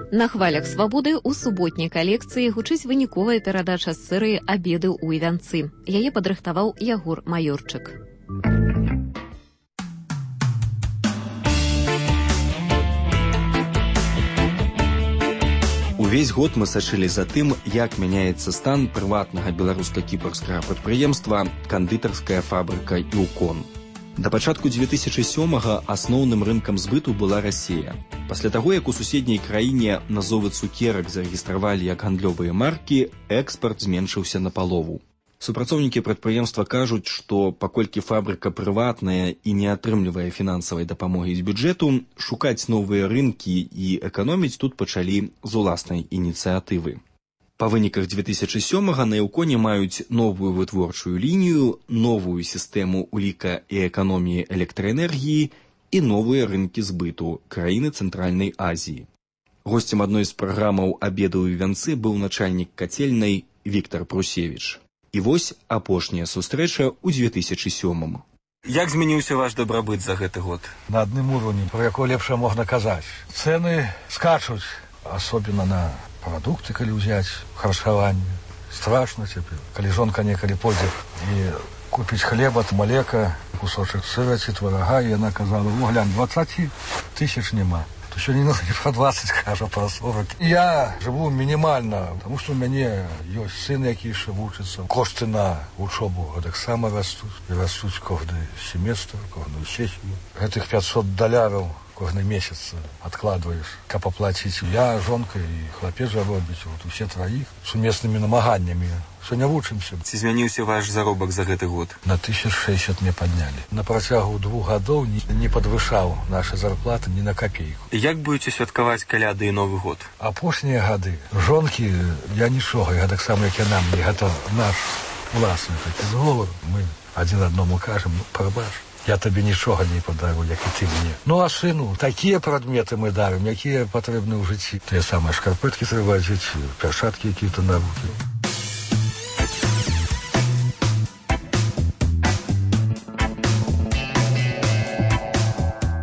Speaker 1: На хвалях свабоды ў суботняй калекцыі гучыць выніковая перадача з серыі «Абеды ў Івянцы». Яе падрыхтаваў Ягор Маёрчык.
Speaker 18: Увесь год мы сачылі за тым, як мяняецца стан прыватнага беларуска-кіпрскага прадпрыемства «Кандытарская фабрыка «Іўкон». Да пачатку дзве тысячы сёмага асноўным рынкам збыту была Расія. Пасля таго, як у суседняй краіне назовы цукерак зарэгістравалі як гандлёвыя маркі, экспарт зменшыўся напалову. Супрацоўнікі прадпрыемства кажуць, што паколькі фабрыка прыватная і не атрымлівае фінансавай дапамогі з бюджэту, шукаць новыя рынкі і эканоміць тут пачалі з уласнай ініцыятывы. Па выніках дзве тысячы сёмага на «Іўконе» маюць новую вытворчую лінію, новую сістэму ўліка і эканоміі электраэнергіі і новыя рынкі збыту краіны Цэнтральнай Азіі. Госцем адной з праграмаў «Абеды ў Івянцы» быў начальнік кацельнай Віктар Прусевіч. І вось апошняя сустрэча ў дзве тысячы сёмым.
Speaker 20: Як змяніўся ваш дабрабыт за гэты год?
Speaker 3: На адным уровні, про якое лепшае можна казаць. Цэны скачуць, асобна на прадукты, калі ўзяць харчаванне. Страшна цяпер. Калі жонка некалі пойдзе і купіць хлеба, малека, кусочак сыра ці тварага, і яна казала: «О, глянь, дваццаць тысяч няма». То сёння не про двадцать, кажа, про сорок. Я жыву мінімальна, тому што у мяне ёсць сын, які яшчэ вучыцца. Кошты на вучобу гэтаксама растуць. І растуць кожны семестр, кожную сесію. Гэтых пятьсот даляраў кожны месяц адкладваеш, каб аплаціць. Я, жонка і хлапец жа робіць, вот усе траіх, сумеснымі намаганнямі. Сёння вучымся.
Speaker 20: Ці змяніўся ваш заробак за гэты год?
Speaker 3: На тысяч шэсцьдзесят мне паднялі. На працягу двух гадоў не, не падвышаў наша зарплата ні на капейку.
Speaker 20: Як будзеце святкаваць каляды і Новы год?
Speaker 3: Апошнія гады жонкі я нічога, я таксама як яна мне, гэта наш уласны такі зговор. Мы адзін аднаму кажам: «Ну, прабач, я табе нічога не падару, як і ты мне». Ну а сыну такія прадметы мы дарым, якія патрэбны ў жыцці. Тыя самыя шкарпэткі трэба адзець, перчаткі якія-то на рукі.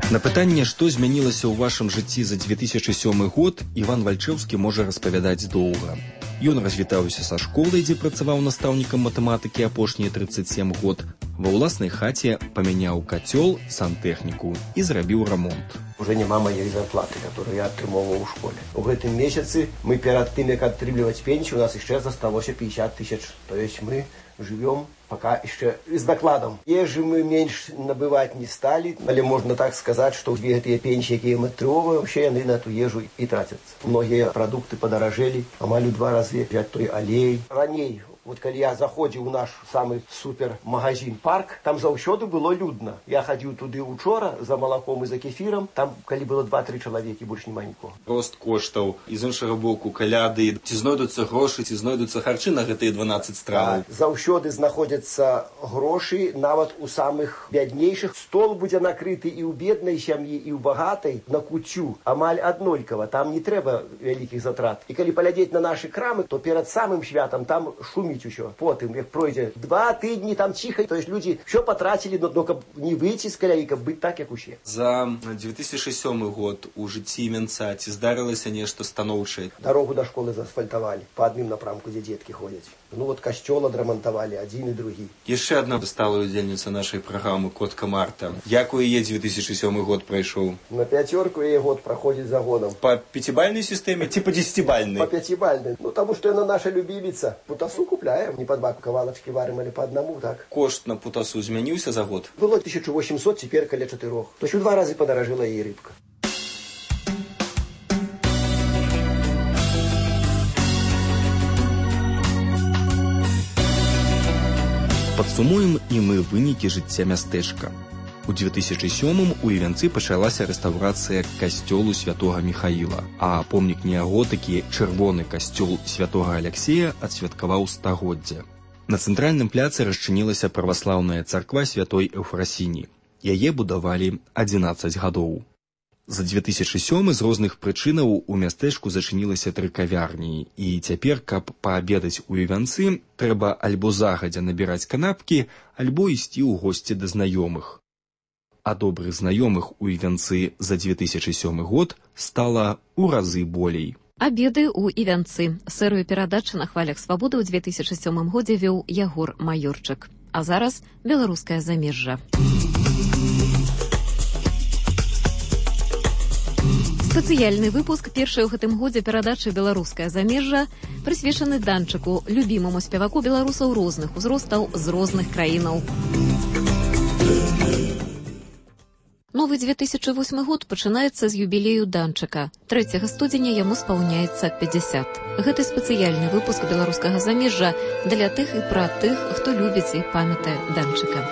Speaker 18: На пытанне, што змянілася ў вашым жыцці за дзве тысячы сёмы год, Іван Вальчэўскі можа распавядаць доўга. Ён развітаўся са школай, дзе працаваў настаўнікам матэматыкі апошнія тридцать семь год. Ва ўласнай хаце памяняў кацёл, сантэхніку і зрабіў рамонт.
Speaker 4: Уже няма моей зарплаты, которую я атрымоўваў у школе. У гэтым месяцы мы перад тым, як атрымліваць пенсію, у нас яшчэ засталося пятьдесят тысяч. То есть мы живем пока еще с докладом. Ежи мы меньше набывать не стали, але можно так сказать, что две гэтыя пенсии, якія мы атрымоўваем, вообще яны на эту ежу и тратятся. Многие продукты подорожели, амаль у два разы взять той алей. Раней, вот когда я заходил в наш самый супер магазин «Парк», там заўсёды было людно. Я ходил туды учора за молоком и за кефиром, там, коли было два-три человека, больше нема нікого.
Speaker 20: Рост коштаў, і з іншага боку каляды. Ці знойдуцца грошы, ці знойдуцца харчы на гэтыя дванаццаць страваў?
Speaker 4: Заўсёды знаходзяцца грошы, нават у самых бяднейшых. Стол будзе накрыты і ў беднай сям'і, і ў багатай на куцю. Амаль аднолькава, там не трэба вялікіх затрат. І калі паглядзець на нашы крамы, то перад самым святам там шуміць усё. Потым, як пройдзе два тыдні, там ціха, то есть людзі ўсё патрацілі, но каб не выйти з каляі, каб быць так, як усе.
Speaker 20: За дзве тысячы сёмы год у жыцці Івянца ці здарылася нешта станоўчае?
Speaker 4: Дарогу да школы заасфальтавалі па адным напрамку, дзе дзеткі ходзяць. Ну вот касцёл адрамантавалі, адзін і другі.
Speaker 20: Яшчэ адна сталая удзельніца нашай праграмы «Котка Марта». Як у яе дзве тысячы сёмы год прайшоў?
Speaker 4: На пяцёрку яе год праходзіць за годам.
Speaker 20: Па пяцібальнай сістэме ці па дзесяцібальнай?
Speaker 4: Па пяцібальнай. Ну таму што яна наша любіміца. Путасу купляем, не па два кавалачкі варым, але па аднаму, так.
Speaker 20: Кошт на путасу змяніўся за год?
Speaker 4: Было тысяча восемьсот, цяпер каля чатырох. То есть у два разы падаражэла яе рыбка.
Speaker 18: Падсумуем і мы вынікі жыцця мястэчка. У две тысячи сёмым у Івянцы пачалася рэстаўрацыя касцёлу святога Міхаіла, а помнік неаготыкі чырвоны касцёл святога Аляксея адсвяткаваў стагоддзе. На цэнтральным пляцы расчынілася праваслаўная царква святой Эўфрасіні. Яе будавалі адзінаццаць гадоў. За две тысячи сёмы з розных прычынаў у мястэчку зачынілася тры кавярні, і цяпер, каб паабедаць у Івянцы, трэба альбо загадзя набіраць канапкі, альбо ісці ў госці да знаёмых. А добрых знаёмых у Івянцы за две тысячи сёмы год стала ў разы болей.
Speaker 1: Абеды ў Івянцы. Серыю перадач на хвалях свабоды ў две тысячи сёмым годзе вёў Ягор Маёрчык. А зараз беларускае замежжа. Спецыяльны выпуск першай у гэтым годзе перадачы «Беларускае замежжа» прысвечаны Данчыку, любімаму спеваку беларусаў розных узростаў з розных краінаў. Новы две тысячи восьмы год пачынаецца з юбілею Данчыка. трэцяга студзеня яму спаўняецца пятьдесят. Гэты спецыяльны выпуск «Беларускага замежжа» для тых і пра тых, хто любіць і памятае Данчыка.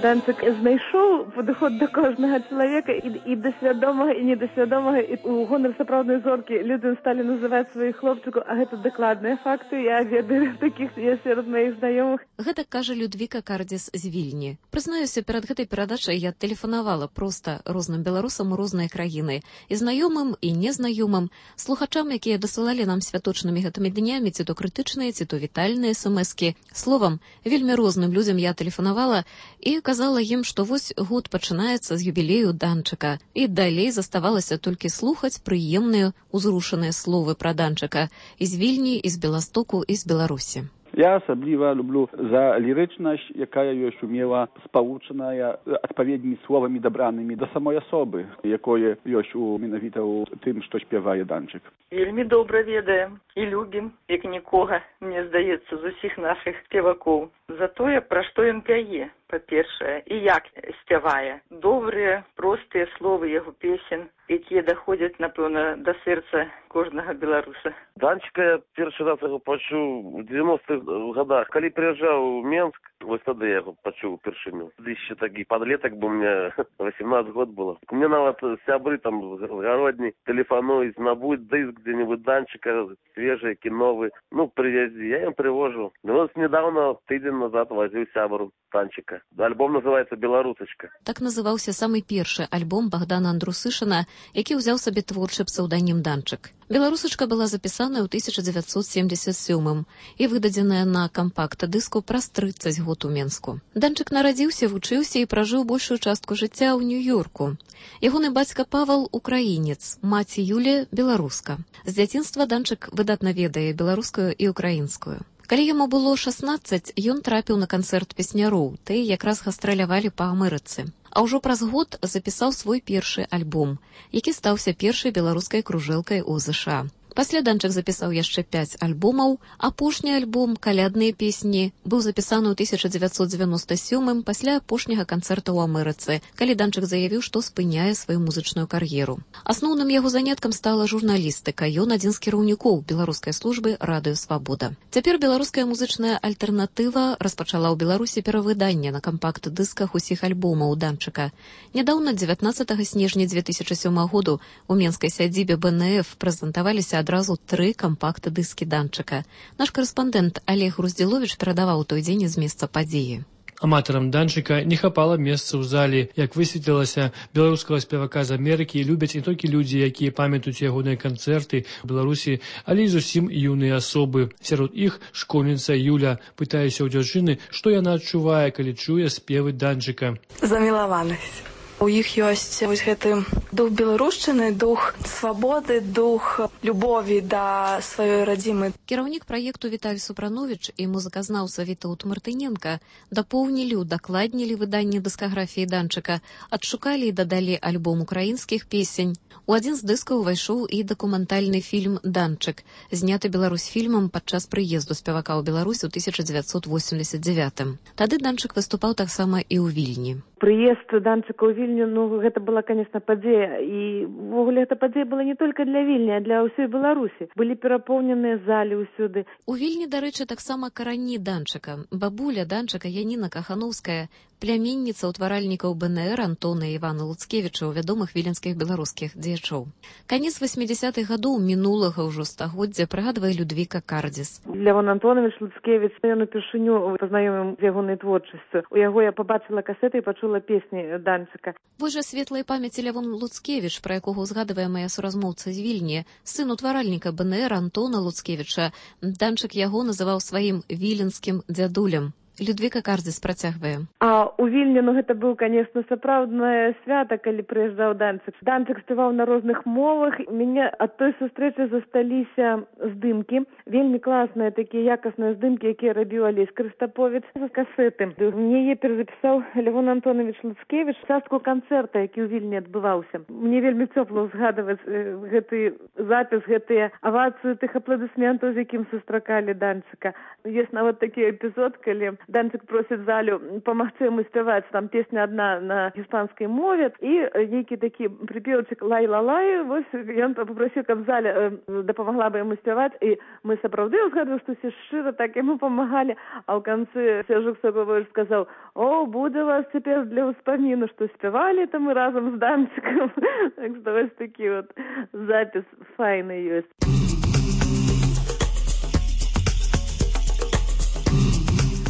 Speaker 12: Данчык знайшоў падыход да кожнага чалавека і, і да свядомага, і недасвядомага, і ў гонар сапраўднай зоркі людзі сталі называць сваіх хлопчыкаў, а гэта дакладныя факты, я ведаю такіх сярод маіх знаёмых.
Speaker 1: Гэта кажа Людвіка Кардзіс з Вільні. Прызнаюся, перад гэтай перадачай я тэлефанавала проста розным беларусам у розныя краіны, і знаёмым, і незнаёмым, слухачам, якія дасылалі нам святочнымі гэтымі днямі ці то крытычныя, ці то вітальныя эс-эм-эскі. Словам, вельмі розным людзям я тэлефанавала і казала ім, што вось год пачынаецца з юбілею Данчыка, і далей заставалася толькі слухаць прыемныя, узрушаныя словы пра Данчыка і з Вільні, і з Беластоку, і з Беларусі.
Speaker 5: Я асабліва люблю за лірычнасць, якая ёсць умела спалучаная адпаведнымі словамі дабранымі да самой асобы, якое ёсць у менавіта ў тым, што спявае Данчык.
Speaker 6: Вельмі добра ведаем і любім, як нікога, мне здаецца, з усіх нашых спевакоў. За тое, пра што ён пяе, па-першае, і як спявае. Добрыя, простыя словы яго песен, якія даходзяць, напэўна, да сэрца кожнага беларуса.
Speaker 16: Данчыка я першы раз яго пачуў у девяностых годах. Калі прыязджаў у Менск, вось тады я яго пачуў упершыню. Яшчэ такі падлетак, бо мне восемнадцать год было. Мне нават сябры там з гародні тэлефануюць, набудь дыск дзе-нибудь Данчыка, свежий, новый. Ну, привези. Я им привожу. Ну, вот недавно, тыдзень назад, возил сябру Данчыка. Альбом называется «Беларусачка».
Speaker 1: Так называўся самы першы альбом Богдана Андрусышына, які ўзяў сабе творчы псеўданім Данчык. «Беларусачка» была запісаная ў тысяча дзевяцьсот семьдесят сёмым і выдадзеная на кампакт-дыску праз трыццаць год у Менску. Данчык нарадзіўся, вучыўся і пражыў большую частку жыцця ў Нью-Йорку. Ягоны бацька Павал украінец, маці Юлія беларуска. З дзяцінства Данчык выдатна ведае беларускую і украінскую. Калі яму было шаснаццаць, ён трапіў на канцэрт песняроў, тыя якраз гастралявалі па Амерыцы. А ўжо праз год запісаў свой першы альбом, які стаўся першай беларускай кружэлкай у ЗША. Пасля Данчык запісаў яшчэ пяць альбомаў. Апошні альбом «Калядныя песні» быў запісаны ў тысяча дзевяцьсот дзевяноста сёмым пасля апошняга канцэрта ў Амерыцы, калі Данчык заявіў, што спыняе сваю музычную кар'еру. Асноўным яго заняткам стала журналістыка. Ён адзін з кіраўнікоў беларускай службы «Радыё Свабода». Цяпер беларуская музычная альтэрнатыва распачала ў Беларусі перавыданне на кампакт-дысках усіх альбомаў Данчыка. Нядаўна, дзевятнаццатага снежня две тысячи сёмага году, у менскай сядзібе бэ эн эф прэзентаваліся адразу тры кампакт-дыскі Данчыка. Наш карэспандэнт Олег Груздзіловіч перадаваў той дзень з месца падзеі.
Speaker 23: Аматарам Данчыка не хапала месца ў зале. Як высветлілася, беларускага спевака з Амерыкі любяць не толькі людзі, якія памятаюць ягоныя канцэрты ў Беларусі, але і зусім юныя асобы. Сярод іх школьніца Юля. Пытаюся ў дзяўчыны, што яна адчувае, калі чуе спевы Данчыка.
Speaker 6: Замілаванасць.
Speaker 7: У іх ёсць вось гэты дух беларушчыны, дух свабоды, дух любові да сваёй радзімы.
Speaker 1: Кіраўнік праекту Віталь Супрановіч і музыказнаўца Вітаўт Мартыненка дапоўнілі, удакладнілі выданне дыскаграфіі Данчыка, адшукалі і дадалі альбом украінскіх песень. У адзін з дыскаў увайшоў і дакументальны фільм «Данчык», зняты Беларусьфільмам падчас прыезду спевака ў Беларусь у тысяча дзевяцьсот восемьдесят девятым. Тады Данчык выступаў таксама і ў Вільні.
Speaker 8: Прыезд Данчыка ў Вільню, ну, гэта была, конечно, падзея. І, ввогуле, гэта падзея была не толькі для Вільні, а для ўсёй Беларусі. Былі перапоўненыя залі ўсюды.
Speaker 1: У Вільні, дарэчы, таксама карані Данчыка. Бабуля Данчыка Яніна Кахановская, пляменніца ўтваральнікаў БНР Антона і Івана Луцкевіча, вядомых віленскіх беларускіх дзеячоў. Канец восьмідзясятых гадоў мінулага ўжо стагоддзя прыгадвае Людвіка Кардзіс.
Speaker 8: Лявон Антонович Луцкевіч, ён упершыню пазнаёміў з ягонай творчасцю. У яго я пабачыла касеты і пачула песні Данчыка.
Speaker 1: Вось жа светлай памяці Лявон Луцкевіч, пра якога ўзгадвае мая суразмоўца з Вільні, сын утваральніка БНР Антона Луцкевіча. Данчык яго называў сваім віленскім дзядулем. Людвіка Кардзіс працягвае.
Speaker 8: А у Вільні, ну, гэта быў, конечно, сапраўднае свята, калі прыязджаў Данчык. Данчык спяваў на розных мовах. Мяне ад той сустрэчы засталіся здымкі. Вельмі класныя такія якасныя здымкі, якія рабіў Алесь Крыстаповіч з касеты. Мне яе перазапісаў Лявон Антонович Луцкевіч, частку канцэрта, які ў Вільні адбываўся. Мне вельмі цёпла ўзгадваць э, гэты запіс, гэтыя авацыі тых апладысментаў, з якім сустракалі Данчыка. Ёсць нават такі эпізод, калі Данчык просіць залю памагчы яму спяваць, там песня адна на іспанскай мове, і нейкі такі прыпеўчык лай-ла-лай, вось ён попросіў, каб заля дапамагла бы яму спяваць, і мы сапраўды ўзгадваем, што ўсе шчыра так яму памагалі, а ў канцы Сержук Сабович сказаў: «О, будзе вас цяпер для ўспаміну, што спявалі там мы разам з Данчыкам». Так што вось такі вот запіс файны ёсць.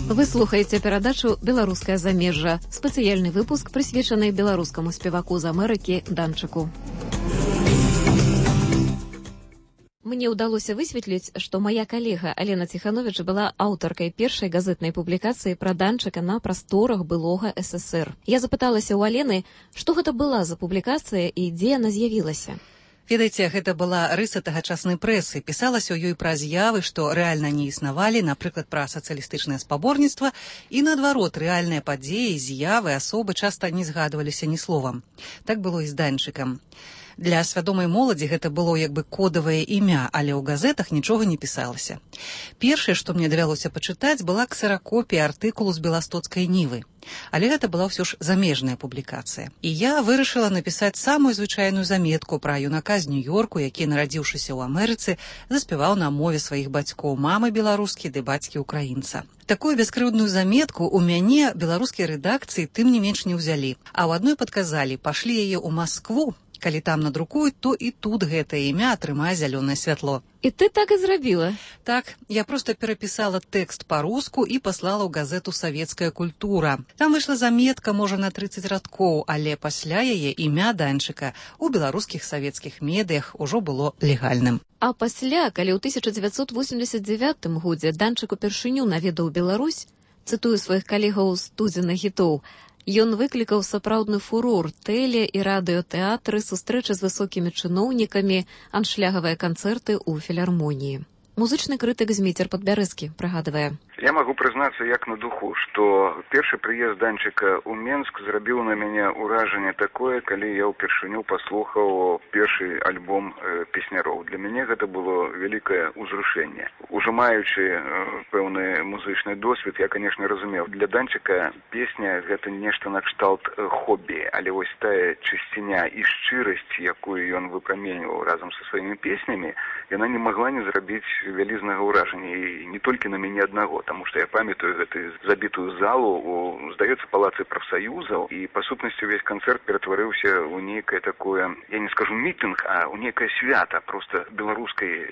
Speaker 1: Вы слухаеце перадачу «Беларускае замежжа», спецыяльны выпуск, прысвечаны беларускаму спеваку з Амерыкі Данчыку. Мне ўдалося высветліць, што мая калега Алена Ціхановіч была аўтаркай першай газетнай публікацыі пра Данчыка на прасторах былога эс эс ер. Я запыталася ў Алены, што гэта была за публікацыя і дзе яна з'явілася.
Speaker 9: Ведаеце, гэта была рыса тагачаснай прэсы. Пісалася ў ёй пра з'явы, што рэальна не існавалі, напрыклад, пра сацыялістычнае спаборніцтва, і наадварот, рэальныя падзеі, з'явы, асобы часта не згадваліся ні словам. Так было і з Данчыкам. Для свядомай моладзі гэта было як бы кодавае імя, але ў газетах нічога не пісалася. Першае, што мне давялося пачытаць, была ксеракопія артыкулу з беластоцкай Нівы. Але гэта была ўсё ж замежная публікацыя. І я вырашыла напісаць самую звычайную заметку пра юнака з Нью-Йорку, які, нарадзіўшыся ў Амерыцы, заспяваў на мове сваіх бацькоў, мамы беларускі ды бацькі украінца. Такую бяскрыўдную заметку ў мяне беларускія рэдакцыі тым не менш не ўзялі, а ў адной падказалі: пашлі яе ў Маскву, калі там надрукуюць, то і тут гэтае імя атрымае зялёнае святло.
Speaker 1: І ты так і зрабіла?
Speaker 9: Так, я проста перапісала тэкст па-руску і паслала ў газету «Савецкая культура». Там выйшла заметка, можа, на трыццаць радкоў, але пасля яе імя Данчыка ў беларускіх савецкіх медыях ужо было легальным.
Speaker 1: А пасля, калі ў тысяча дзевяцьсот восемьдесят девятым годзе Данчык упершыню наведаў Беларусь, цытую сваіх калегаў з тузіна хітоў, ён выклікаў сапраўдны фурор, тэле- і радыётэатры, сустрэчы з высокімі чыноўнікамі, аншлягавыя канцэрты ў філармоніі. Музычны крытык Зміцер Падбярэзкі прыгадвае:
Speaker 24: Я могу признаться як на духу, что першы прыезд Данчыка ў Менск зрабіў на мяне ўражанне такое, калі я ўпершыню паслухаў першы альбом э, песняроў. Для мяне гэта было вялікае ўзрушэнне. Ужо маючы э, пэўны музычны досвед, я, конечно, разумеў, для Данчыка песня гэта нешта накшталт э, хобі, але вось тая чысціня і шчырасць, якую ён выпраменьваў разам са сваімі песнямі, яна не магла не зрабіць вялізнага ўражання, і не толькі на мяне аднаго. Потому что я памятаю гэтую забітую залу у, здаецца, палацы прафсаюзаў, і па сутнасці увесь канцэрт ператварыўся ў нейкае такое, я не скажу мітынг, а ў нейкае свята проста беларускай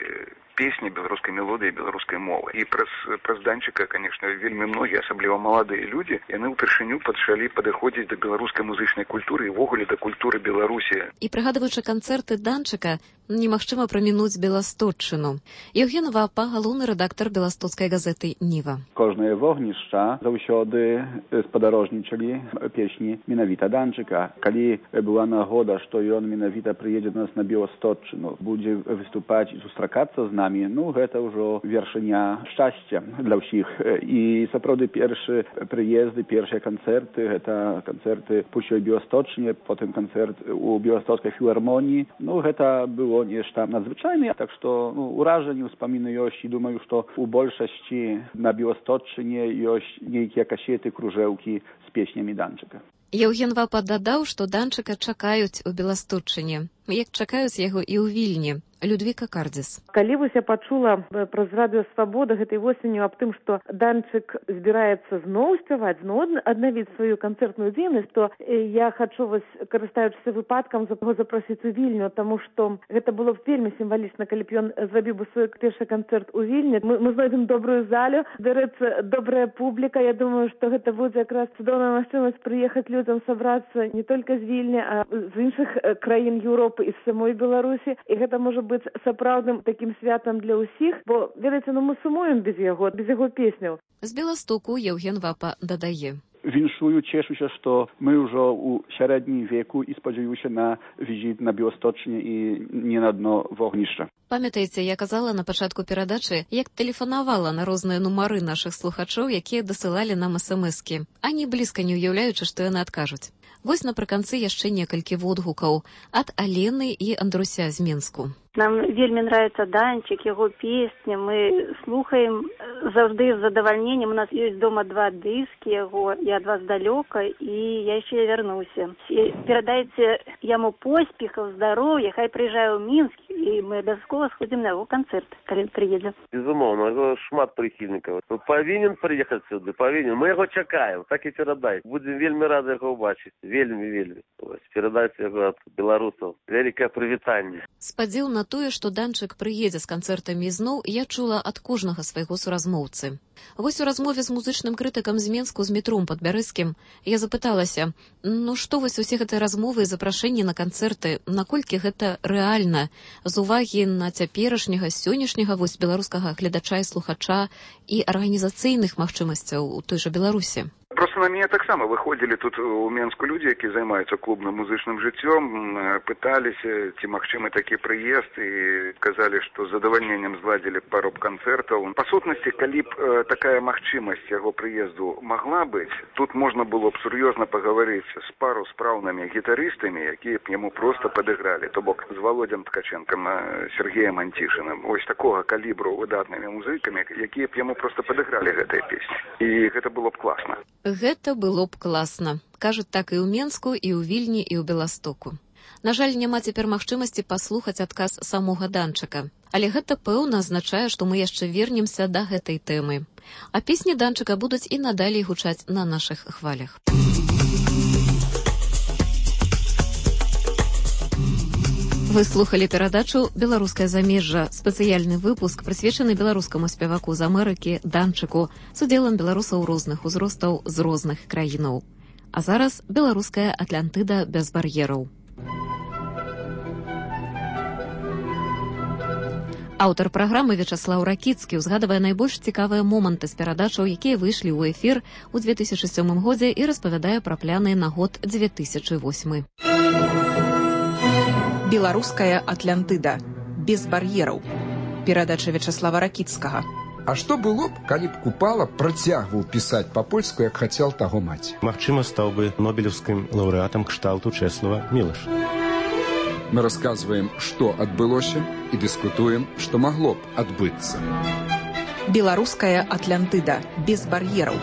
Speaker 24: песні, беларускай мелодыі, беларускай мовы. І праз, праз Данчыка, конечно, вельмі многія, асабліва маладыя людзі, яны ўпершыню пачалі падыходзіць да беларускай музычнай культуры і ўвогуле да культуры Беларусі.
Speaker 1: І прыгадваючы канцэрты Данчыка, Немагчыма прамінуць Беласточчыну. Еўген Вапа, галоўны рэдактар беластоцкай газеты «Ніва».
Speaker 5: Кожныя вогнішча заўсёды спадарожнічалі песні менавіта Данчыка. Калі была нагода, што ён менавіта прыедзе до нас на Беласточчыну, будзе выступаць і сустракацца з намі, ну гэта ўжо вершыня шчасця для ўсіх. І сапраўды першы прыезды, першыя канцэрты, гэта канцэрты пусцёй Беласточчыне, потым канцэрт у Беластоцкай філармоніі. Ну гэта было нешта надзвычайнае, так што ну, уражанні, ўспаміны ёсць, і думаю, што у большасці на Беласточчыне ёсць нейкія касеты, кружэўкі з песнямі Данчыка.
Speaker 1: Еўген Вапа дадаў, што Данчыка чакаюць у Беласточчыне, як чакаюць яго і ў Вільні. Людвіка Кардзіс.
Speaker 8: Калі вось я пачула праз радыё «Свабода» гэтай восенню аб тым, што Данчык збіраецца зноў спяваць, зноў аднавіць сваю канцэртную дзейнасць, то я хачу вось, карыстаючыся выпадкам, яго запрасіць у Вільню, таму што гэта было б вельмі сімвалічна, калі б ён зрабіў бы свой першы канцэрт у Вільні. Мы, мы знойдзем добрую залю, збярэцца добрая публіка. Я думаю, што гэта будзе якраз цудоўная магчымасць прыехаць людзям сабрацца не толькі з Вільні, а з іншых краін Еўропы і з самой Беларусі. І гэта можа быць сапраўдным такім святам для ўсіх, бо, ведаеце, ну мы сумуем без яго, без яго песняў.
Speaker 1: З Беластоку Еўген Вапа дадае.
Speaker 5: Віншую, цешуся, што мы ўжо ў сярэднім веку і спадзяюся на візіт на Беласточчыне і не на дно вогнішча.
Speaker 1: Памятаеце, я казала на пачатку перадачы, як тэлефанавала на розныя нумары нашых слухачоў, якія дасылалі нам эс-эм-эскі, ані блізка не ўяўляючы, што яны адкажуць. Вось напрыканцы яшчэ некалькі водгукаў ад Алены і Андруся з Менску.
Speaker 10: Нам вельмі нравится Данчик, его песни. Мы слухаем заўжды з задавальненнем. У нас есть дома два диски его. Я от вас далёка, и я еще вернуся. И передайте ему поспехов, здоровья, хай приезжаю в Минск, и мы обовязково сходим на его концерт, когда приедем.
Speaker 11: Безумовно, его шмат прихильников. Повинен приехать сюда, повинен. Мы его чекаем, так и передайте. Будем вельми рады его убачить. Вельми, вельми. Передайте его от белорусов. Великое привитание.
Speaker 1: Спадзеў на тое, што Данчык прыедзе з канцэртамі зноў, я чула ад кожнага свайго суразмоўцы. Вось у размове з музычным крытыкам з Менску з Метром Падбярэзскім я запыталася, ну што вось усе гэтыя размовы і запрашэнні на канцэрты, наколькі гэта рэальна, з увагі на цяперашняга, сённяшняга вось беларускага гледача і слухача і арганізацыйных магчымасцяў у той жа Беларусі?
Speaker 24: Просто на меня так само выходили тут у Менску люди, які займаюцца клубным музычным жыццём, пыталіся, ці магчымы такі прыезд, і казалі, што з задавальненнем зладзілі пару канцэртаў. Па сутнасці, калі б э, такая магчымасць яго прыезду магла быць, тут можна было б сур'ёзна пагаварыць з пару спраўнымі гітарыстамі, якія б яму проста падыгралі, то бок з Володзем Ткаченкам, Сергеем Антішыным, ось такога калібру выдатнымі музыкамі, якія б яму проста падыгралі гэтыя песні. І гэта было б класна.
Speaker 1: Гэта было б класна. Кажуць так і ў Менску, і ў Вільні, і ў Беластоку. На жаль, няма цяпер магчымасці паслухаць адказ самога Данчыка. Але гэта, пэўна, азначае, што мы яшчэ вернемся да гэтай тэмы. А песні Данчыка будуць і надалей гучаць на нашых хвалях. Вы слухали перадачу «Беларускае замежжа», спецыяльны выпуск, прысвечаны беларускаму спеваку з Амерыкі Данчыку з удзелам беларусаў розных узростаў з розных краінаў. А зараз беларуская Атлантыда без бар'ераў. Аўтар праграмы Вячаслаў Ракіцкі узгадвае найбольш цікавыя моманты з перадачаў, якія выйшлі ў эфір у две тысячы сёмым годзе і распавядае пра пляны на год две тысячы восьмы.
Speaker 13: Беларуская Атлантыда. Без бар'ераў. Перадача Вячаслава Ракіцкага.
Speaker 14: А што было б, калі б Купала працягваў пісаць па-польску, як хацеў таго маці?
Speaker 25: Магчыма, стаў бы нобелеўскім лаўрэатам кшталту Чэслава Мілаша.
Speaker 14: Мы расказваем, што адбылося, і дыскутуем, што магло б адбыцца.
Speaker 13: Беларуская Атлантыда. Без бар'ераў.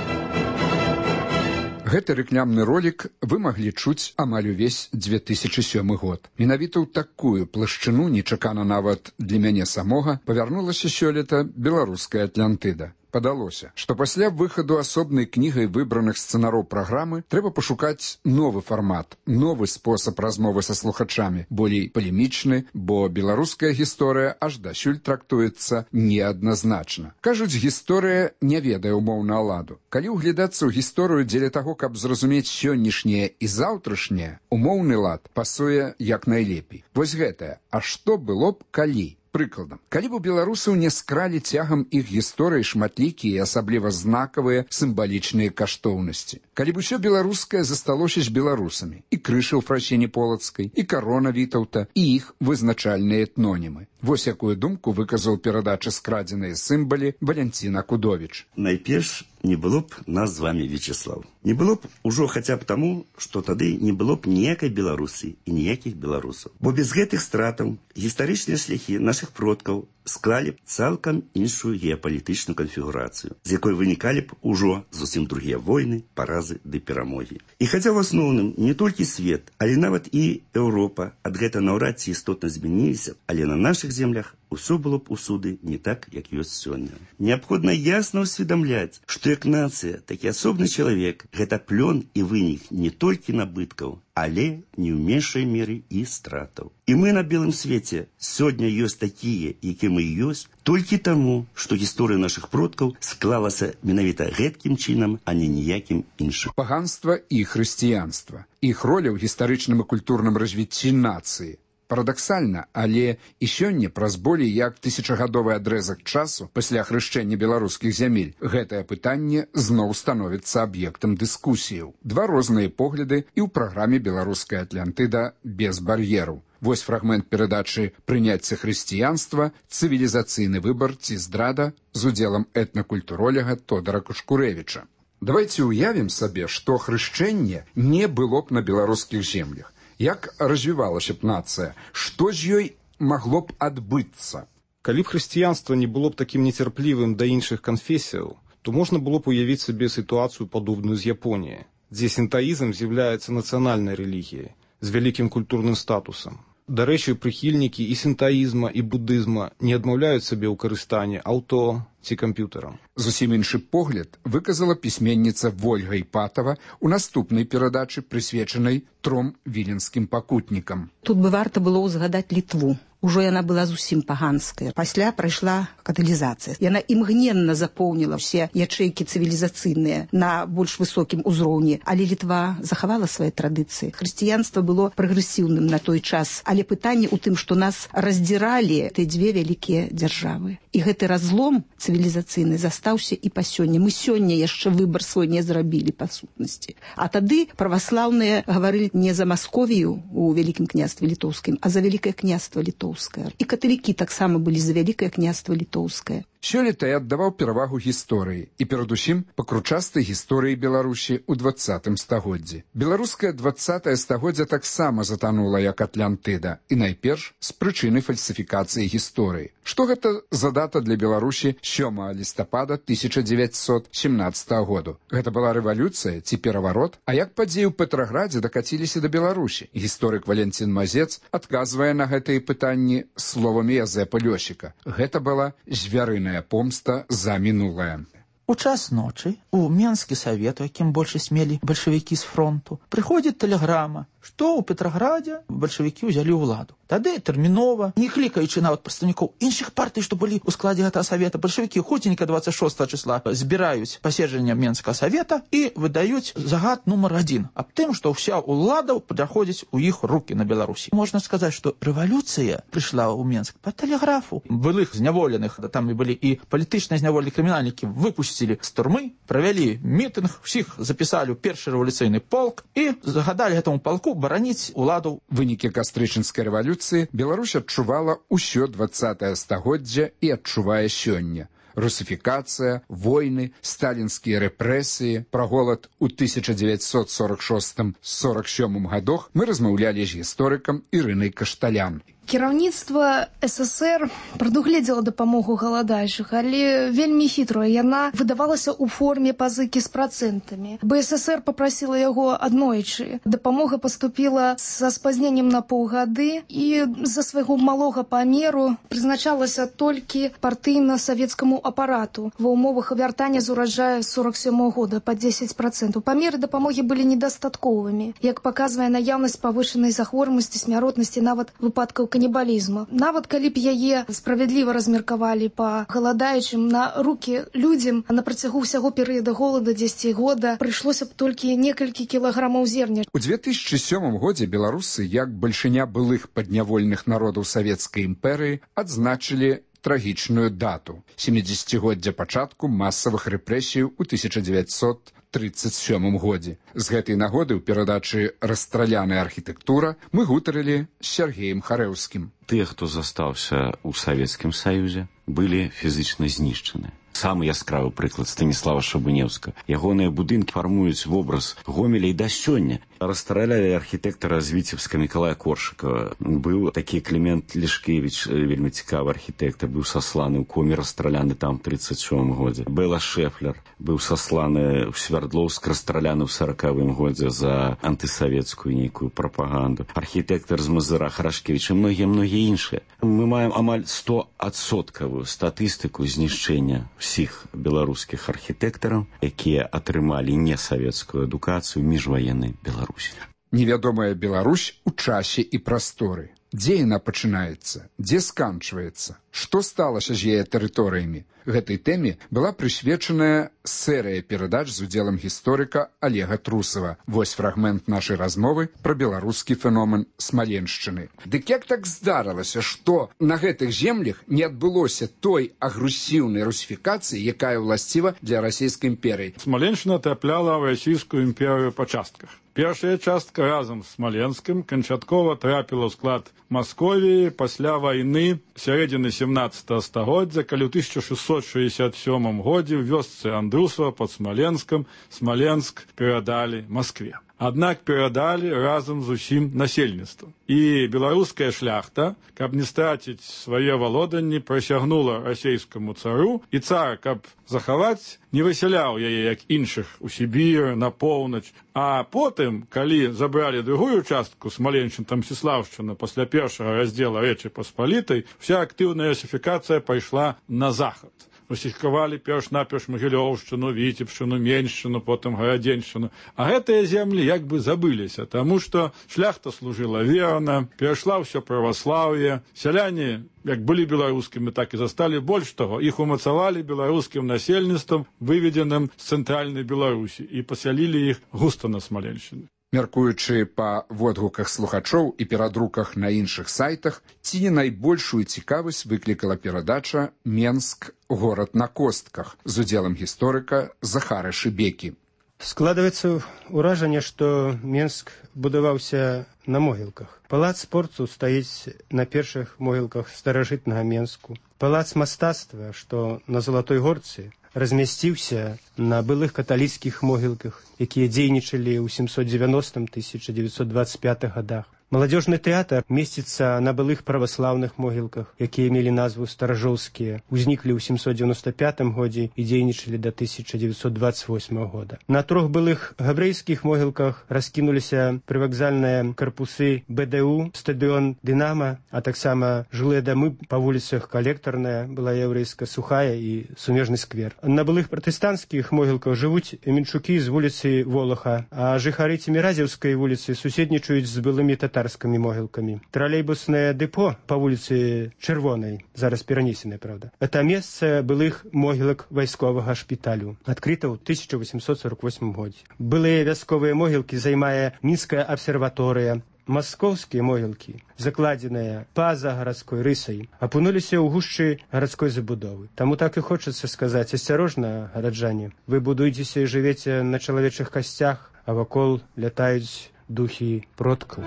Speaker 14: Гэты рэкламны ролік вы маглі чуць амаль увесь две тысячы сёмы год. Менавіта ў такую плашчыну, нечакана нават для мяне самога, павярнулася сёлета беларуская Атлантыда. Падалося, што пасля выхаду асобнай кнігай выбраных сцэнароў праграмы трэба пашукаць новы фармат, новы спосаб размовы са слухачамі, болей палемічны, бо беларуская гісторыя аж дасюль трактуецца неадназначна. Кажуць, гісторыя не ведае умоўна ладу. Калі ўглядацца ў гісторыю дзеля таго, каб зразумець сённяшняе і заўтрашняе, умоўны лад пасуе як найлепей. Вось гэтае, а што было б калі? Прыкладам, калі б у беларусаў не скралі цягам іх гісторыі шматлікія і асабліва знакавыя сімвалічныя каштоўнасці. Калі б усё беларускае засталося з беларусамі, і крыша ў Фрасіні Полацкай, і карона Вітаўта, і іх вызначальныя этнонімы. Вось якую думку выказаў перадачы скрадзеныя сімвалі Валянцін Акудовіч.
Speaker 2: Найперш, не было б нас з вами, Вячеслав. Не было б ужо хаця б таму, што тады не было б ніякай Беларусі і ніякіх беларусаў. Бо без гэтых стратаў гістарычныя шляхі нашых продкаў склалі б цалкам іншую геапалітычную канфігурацыю, з якой вынікалі б ужо зусім другія войны, паразы ды перамогі. І хаця ў асноўным не толькі свет, але нават і Еўропа ад гэта наўрад ці істотна змяніліся, але на нашых землях усё было б усюды не так, як ёсць сёння. Неабходна ясна ўсведамляць, што як нацыя, так і асобны чалавек гэта плён і вынік не толькі набыткаў, але не ў меншай меры і стратаў. І мы на белым свеце сёння ёсць такія, які мы ёсць, толькі таму, што гісторыя нашых продкаў склалася менавіта гэткім чынам, а не ніякім іншым.
Speaker 14: Паганства і хрысціянства. Іх роля ў гістарычным і культурным развіцці нацыі. Парадаксальна, але і сёння праз болей як тысячагадовы адрэзак часу пасля хрышчэння беларускіх зямель гэтае пытанне зноў становіцца аб'ектам дыскусіяў. Два розныя погляды і ў праграме «Беларуская Атлантыда» без бар'ераў. Вось фрагмент перадачы «Прыняцце хрысціянства. Цывілізацыйны выбар ці здрада» з удзелам этнакультуролага Тодара Кушкурэвіча. Давайце ўявім сабе, што хрышчэнне не было б на беларускіх землях. Як развівалася б нацыя? Што з ёй магло б адбыцца?
Speaker 15: Калі б хрысціянства не было б такім нецярплівым да іншых канфесіяў, то можна было б уявіць сабе сітуацыю падобную з Японіяй, дзе сінтаізм з'яўляецца нацыянальнай рэлігіяй з вялікім культурным статусам. Дарэчы, прыхільнікі і сінтаізма, і будызма не адмаўляюць сабе ў карыстанні аўто ці камп'ютарам.
Speaker 14: Зусім іншы погляд выказала пісьменніца Вольга Іпатава ў наступнай перадачы, прысвечанай тром віленскім пакутнікам.
Speaker 17: Тут бы варта было ўзгадаць Літву. Ужо яна была зусім паганская. Пасля прайшла каталізацыя. Яна імгненна запоўніла ўсе ячэйкі цывілізацыйныя на больш высокім узроўні, але Літва захавала свае традыцыі. Хрысціянства было прагрэсіўным на той час, але пытанне ў тым, што нас раздзіралі тыя дзве вялікія дзяржавы. І гэты разлом цывілізацыйны застаўся і па сёння. Мы сёння яшчэ выбар свой не зрабілі па сутнасці. А тады праваслаўныя гаварылі не за Масковію у Вялікім княстве Літоўскім, а за Вялікае княства Літоўскае. І каталікі таксама былі за Вялікае княства Літоўскае.
Speaker 14: Сёлета я аддаваў перавагу гісторыі і перадусім пакручастай гісторыі Беларусі ў дваццатым стагоддзі. Беларускае дваццатае стагоддзя таксама затанула як Атлантыда, і найперш з прычыны фальсіфікацыі гісторыі. Што гэта за дата для Беларусі сёмага лістапада тысяча дзевяцьсот сямнаццатага году? Гэта была рэвалюцыя ці пераварот? А як падзеі ў Петраградзе дакаціліся да Беларусі? Гісторык Валянцін Мазец адказвае на гэтыя пытанні словамі Язэпа Лёсіка. Гэта была звярыная помста за мінулае.
Speaker 19: У час ночы у Менскі савет, у якім большасць мелі бальшавікі з фронту, прыходзіць тэлеграма, што ў Петраградзе бальшавікі ўзялі ўладу. Тады тэрмінова, не клікаючы нават прадстаўнікоў іншых партый, што былі ў складзе гэтага савета, бальшавікі хутенька дваццаць шостага числа збіраюць паседжанне Менскага савета і выдаюць загад нумар адзін аб тым, што ўся ўлада пераходзіць у іх рукі на Беларусі. Можна сказаць, што рэвалюцыя прыйшла ў Менск па тэлеграфу. Былых зняволеных, там і былі і палітычныя зняволеныя крымінальнікі, выпусцілі з турмы, правялі мітынг, усіх запісалі ў першы рэвалюцыйны полк і загадалі гэтаму полку бараніць уладу.
Speaker 14: Вынікі кастрычніцкай рэвалюцыі Беларусь адчувала ўсё дваццатае стагоддзя і адчувае сёння. Русіфікацыя, войны, сталінскія рэпрэсіі, пра голад у тысяча дзевяцьсот сорок шостым — сорок сёмым гадах мы размаўлялі з гісторыкам Ірынай Кашталян.
Speaker 3: Кіраўніцтва СССР прадугледзела дапамогу галадаючых, але вельмі хітрая. Яна выдавалася ў форме пазыкі з працэнтамі. БССР попрасіла яго аднойчы. Дапамога паступіла са спазненнем на паўгады і з-за свайго малога памеру прызначалася толькі партыйна-савецкаму апарату ва ўмовах вяртання з ураджая сорок сёмага года па дзесяць працэнтаў. Памеры дапамогі былі недастатковымі, як паказвае наяўнасць павышанай захворванасці, смяротнасці, нават выпадкаў канібалізму. Нават калі б яе справядліва размеркавалі па галадаючым, на рукі людзям на працягу ўсяго перыяда голода дзесяць года прыйшлося б толькі некалькі кілаграмаў зерня.
Speaker 14: У две тысячи сёмым годзе беларусы, як бальшыня былых паднявольных народаў савецкай імперыі, адзначылі трагічную дату – сямідзесяцігоддзя пачатку масавых рэпрэсій у тысяча дзевяцьсот тридцать сёмым годзе. З гэтай нагоды ў перадачы «Расстраляная архітэктура» мы гутарылі з Сергеем Харэўскім.
Speaker 4: Тыя, хто застаўся ў Савецкім Саюзе, былі фізічна знішчаны. Самы яскравы прыклад Станіслава Шабынеўска. Ягоныя будынкі фармуюць вобраз Гомеля і да сёння. Расстраляли архітэктара з Віцебска Мікалая Коршыкова. Быў такі Клімент Лішкевіч, вельмі цікавы архітэктар, быў сасланы ў коме, расстраляны там у тридцать сёмым годзе. Бэла Шэфлер быў сасланы ў Свярдлоўск, расстраляны ў саракавым годзе за антысавецкую нейкую прапаганду. Архітэктар з Мазыра Харашкевіч і многія-многія іншыя. Мы маем амаль стоадсоткавую статыстыку знішчэння всіх беларускіх архітэктараў, якія атрымалі несавецкую адукацыю міжваеннай Беларусі.
Speaker 14: Невядомая Беларусь у часе і прасторы. Дзе яна пачынаецца? Дзе сканчваецца? Што сталася з яе тэрыторыямі? Гэтай тэме была прысвечаная серыя перадач з удзелам гісторыка Олега Трусова. Вось фрагмент нашай размовы пра беларускі феномен Смаленшчыны. Дык як так здарылася, што на гэтых землях не адбылося той агрэсіўнай русіфікацыі, якая ўласціва для расійскай імперыі?
Speaker 20: Смаленшчына трапляла ў расійскую імперыю па частках. Першая частка разам з Смаленскім канчаткова трапіла ў склад Масковіі пасля вайны сярэдзіны сямнаццатага стагоддзя, калі ў тысяча шэсцьсот шэсцьдзесят сёмым годзе ў вёсцы Андрусава пад Смаленскам Смаленск перадалі Маскве. Аднак перадалі разам з усім насельніцтвам. І беларуская шляхта, каб не страціць свае валоданні, прысягнула расійскаму цару, і цар, каб захаваць, не высяляў яе, як іншых, у Сібір, на поўнач. А потым, калі забралі другую частку Смаленшчына, Мсціслаўшчына, пасля першага раздзела Рэчы Паспалітай, вся актыўная русіфікацыя пайшла на захад. Русіфікавалі перш-наперш Магілёўшчыну, Віцебшчыну, Меншчыну, потым Гарадзеншчыну. А гэтыя землі як бы забыліся, таму што шляхта служыла верна, перайшла ўсё праваслаўе, сяляне, як былі беларускімі, так і засталі. Больш таго, іх умацавалі беларускім насельніцтвам, выведзеным з цэнтральнай Беларусі, і пасялілі іх густа на Смаленшчыне.
Speaker 14: Мяркуючы па водгуках слухачоў і перадруках на іншых сайтах, ці не найбольшую цікавасць выклікала перадача «Менск. Горад на костках» з удзелам гісторыка Захара Шыбекі.
Speaker 21: Складваецца ўражанне, што Менск будаваўся на могілках. Палац спорту стаіць на першых могілках старажытнага Менску. Палац мастацтва, што на Залатой Горцы, размясціўся на былых каталіцкіх могілках, якія дзейнічалі ў сямсот дзевяностым — тысяча дзевяцьсот двадцать пятых годах. Маладзёжны тэатр месціцца на былых праваслаўных могілках, якія мелі назву старажоўскія, узніклі ў сямсот дзевяносто пятым годзе і дзейнічалі да тысяча дзевяцьсот двадцать восьмага года. На трох былых габрэйскіх могілках раскінуліся прывакзальныя карпусы Бэ Дэ У, стадыён Дынама, а таксама жылыя дамы па вуліцах Калектарная, была яўрэйска Сухая і Сумежны сквер. На былых пратэстанцкіх могілках жывуць мінчукі з вуліцы Волаха, а жыхары Цеміразеўскай вуліцы суседнічаюць з былымі татарамі могілкамі. Тралейбуснае дэпо па вуліцы Чырвонай, зараз перанесенае, правда, это месца былых могілак вайсковага шпіталю, адкрыта ў тысяча восемьсот сорок восьмым годзе. Былыя вясковыя могілкі займае Мінская абсерваторыя. Маскоўскія могілкі, закладзеныя па-за гарадской рысай, апынуліся ў гушчы гарадской забудовы. Таму так і хочацца сказаць: асцярожна, гараджане, вы будуецеся і жывеце на чалавечых касцях, а вакол лятаюць духі продкаў.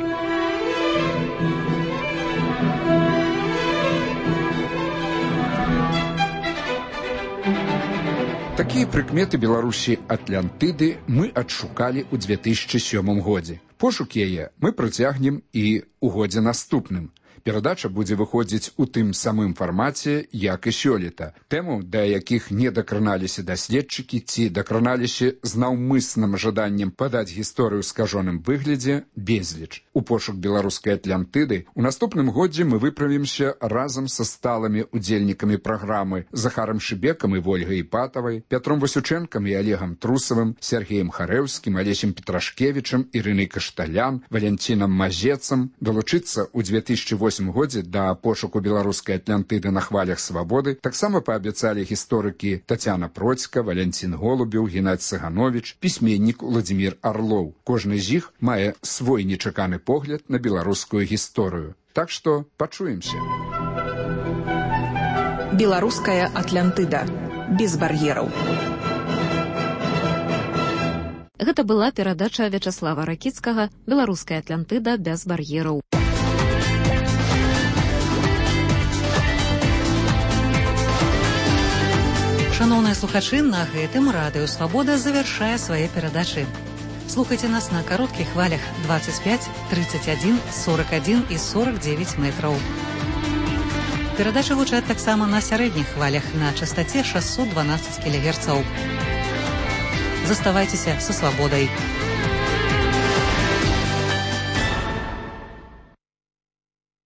Speaker 14: Такія прыкметы Беларусі Атлантыды мы адшукалі ў две тысячи сёмым годзе. Пошук яе мы працягнем і ў годзе наступным. Перадача будзе выходзіць у тым самым фармаце, як і сёлета. Тэму, да якіх не дакраналіся даследчыкі ці дакраналіся з наўмысным жаданнем падаць гісторыю ў скажоным выглядзе, безліч. У пошук беларускай Атлантыды у наступным годзе мы выправімся разам са сталымі удзельнікамі праграмы Захарам Шыбекам і Вольгай Іпатавай, Пятром Васючэнкам і Олегам Трусавым, Сергеем Харэўскім, Алесем Петрашкевічам, Ірынай Кашталян, Валянцінам Мазецам, долучыцца ў две тысячы восьмым годзе да пошуку беларускай Атлантыды на хвалях свабоды таксама паабяцалі гісторыкі Тацяна Процька, Валянцін Голубеў, Геннадзь Цагановіч, пісьменнік Уладзімір Арлоў. Кожны з іх мае свой нечаканы погляд на беларускую гісторыю. Так што пачуемся.
Speaker 13: Беларуская Атлантыда. Без бар'ераў.
Speaker 1: Гэта была перадача Вячаслава Ракіцкага «Беларуская Атлантыда без бар'ераў».
Speaker 9: Шановныя слухачы, на гэтым Радыё Свабода завяршае свае перадачы. Слухайце нас на кароткіх хвалях двадцать пять, тридцать один, сорок один і сорок девять метраў. Перадачы гучаць таксама на сярэдніх хвалях на частаце шестьсот двенадцать кілогерцаў. Заставайцеся са свабодай.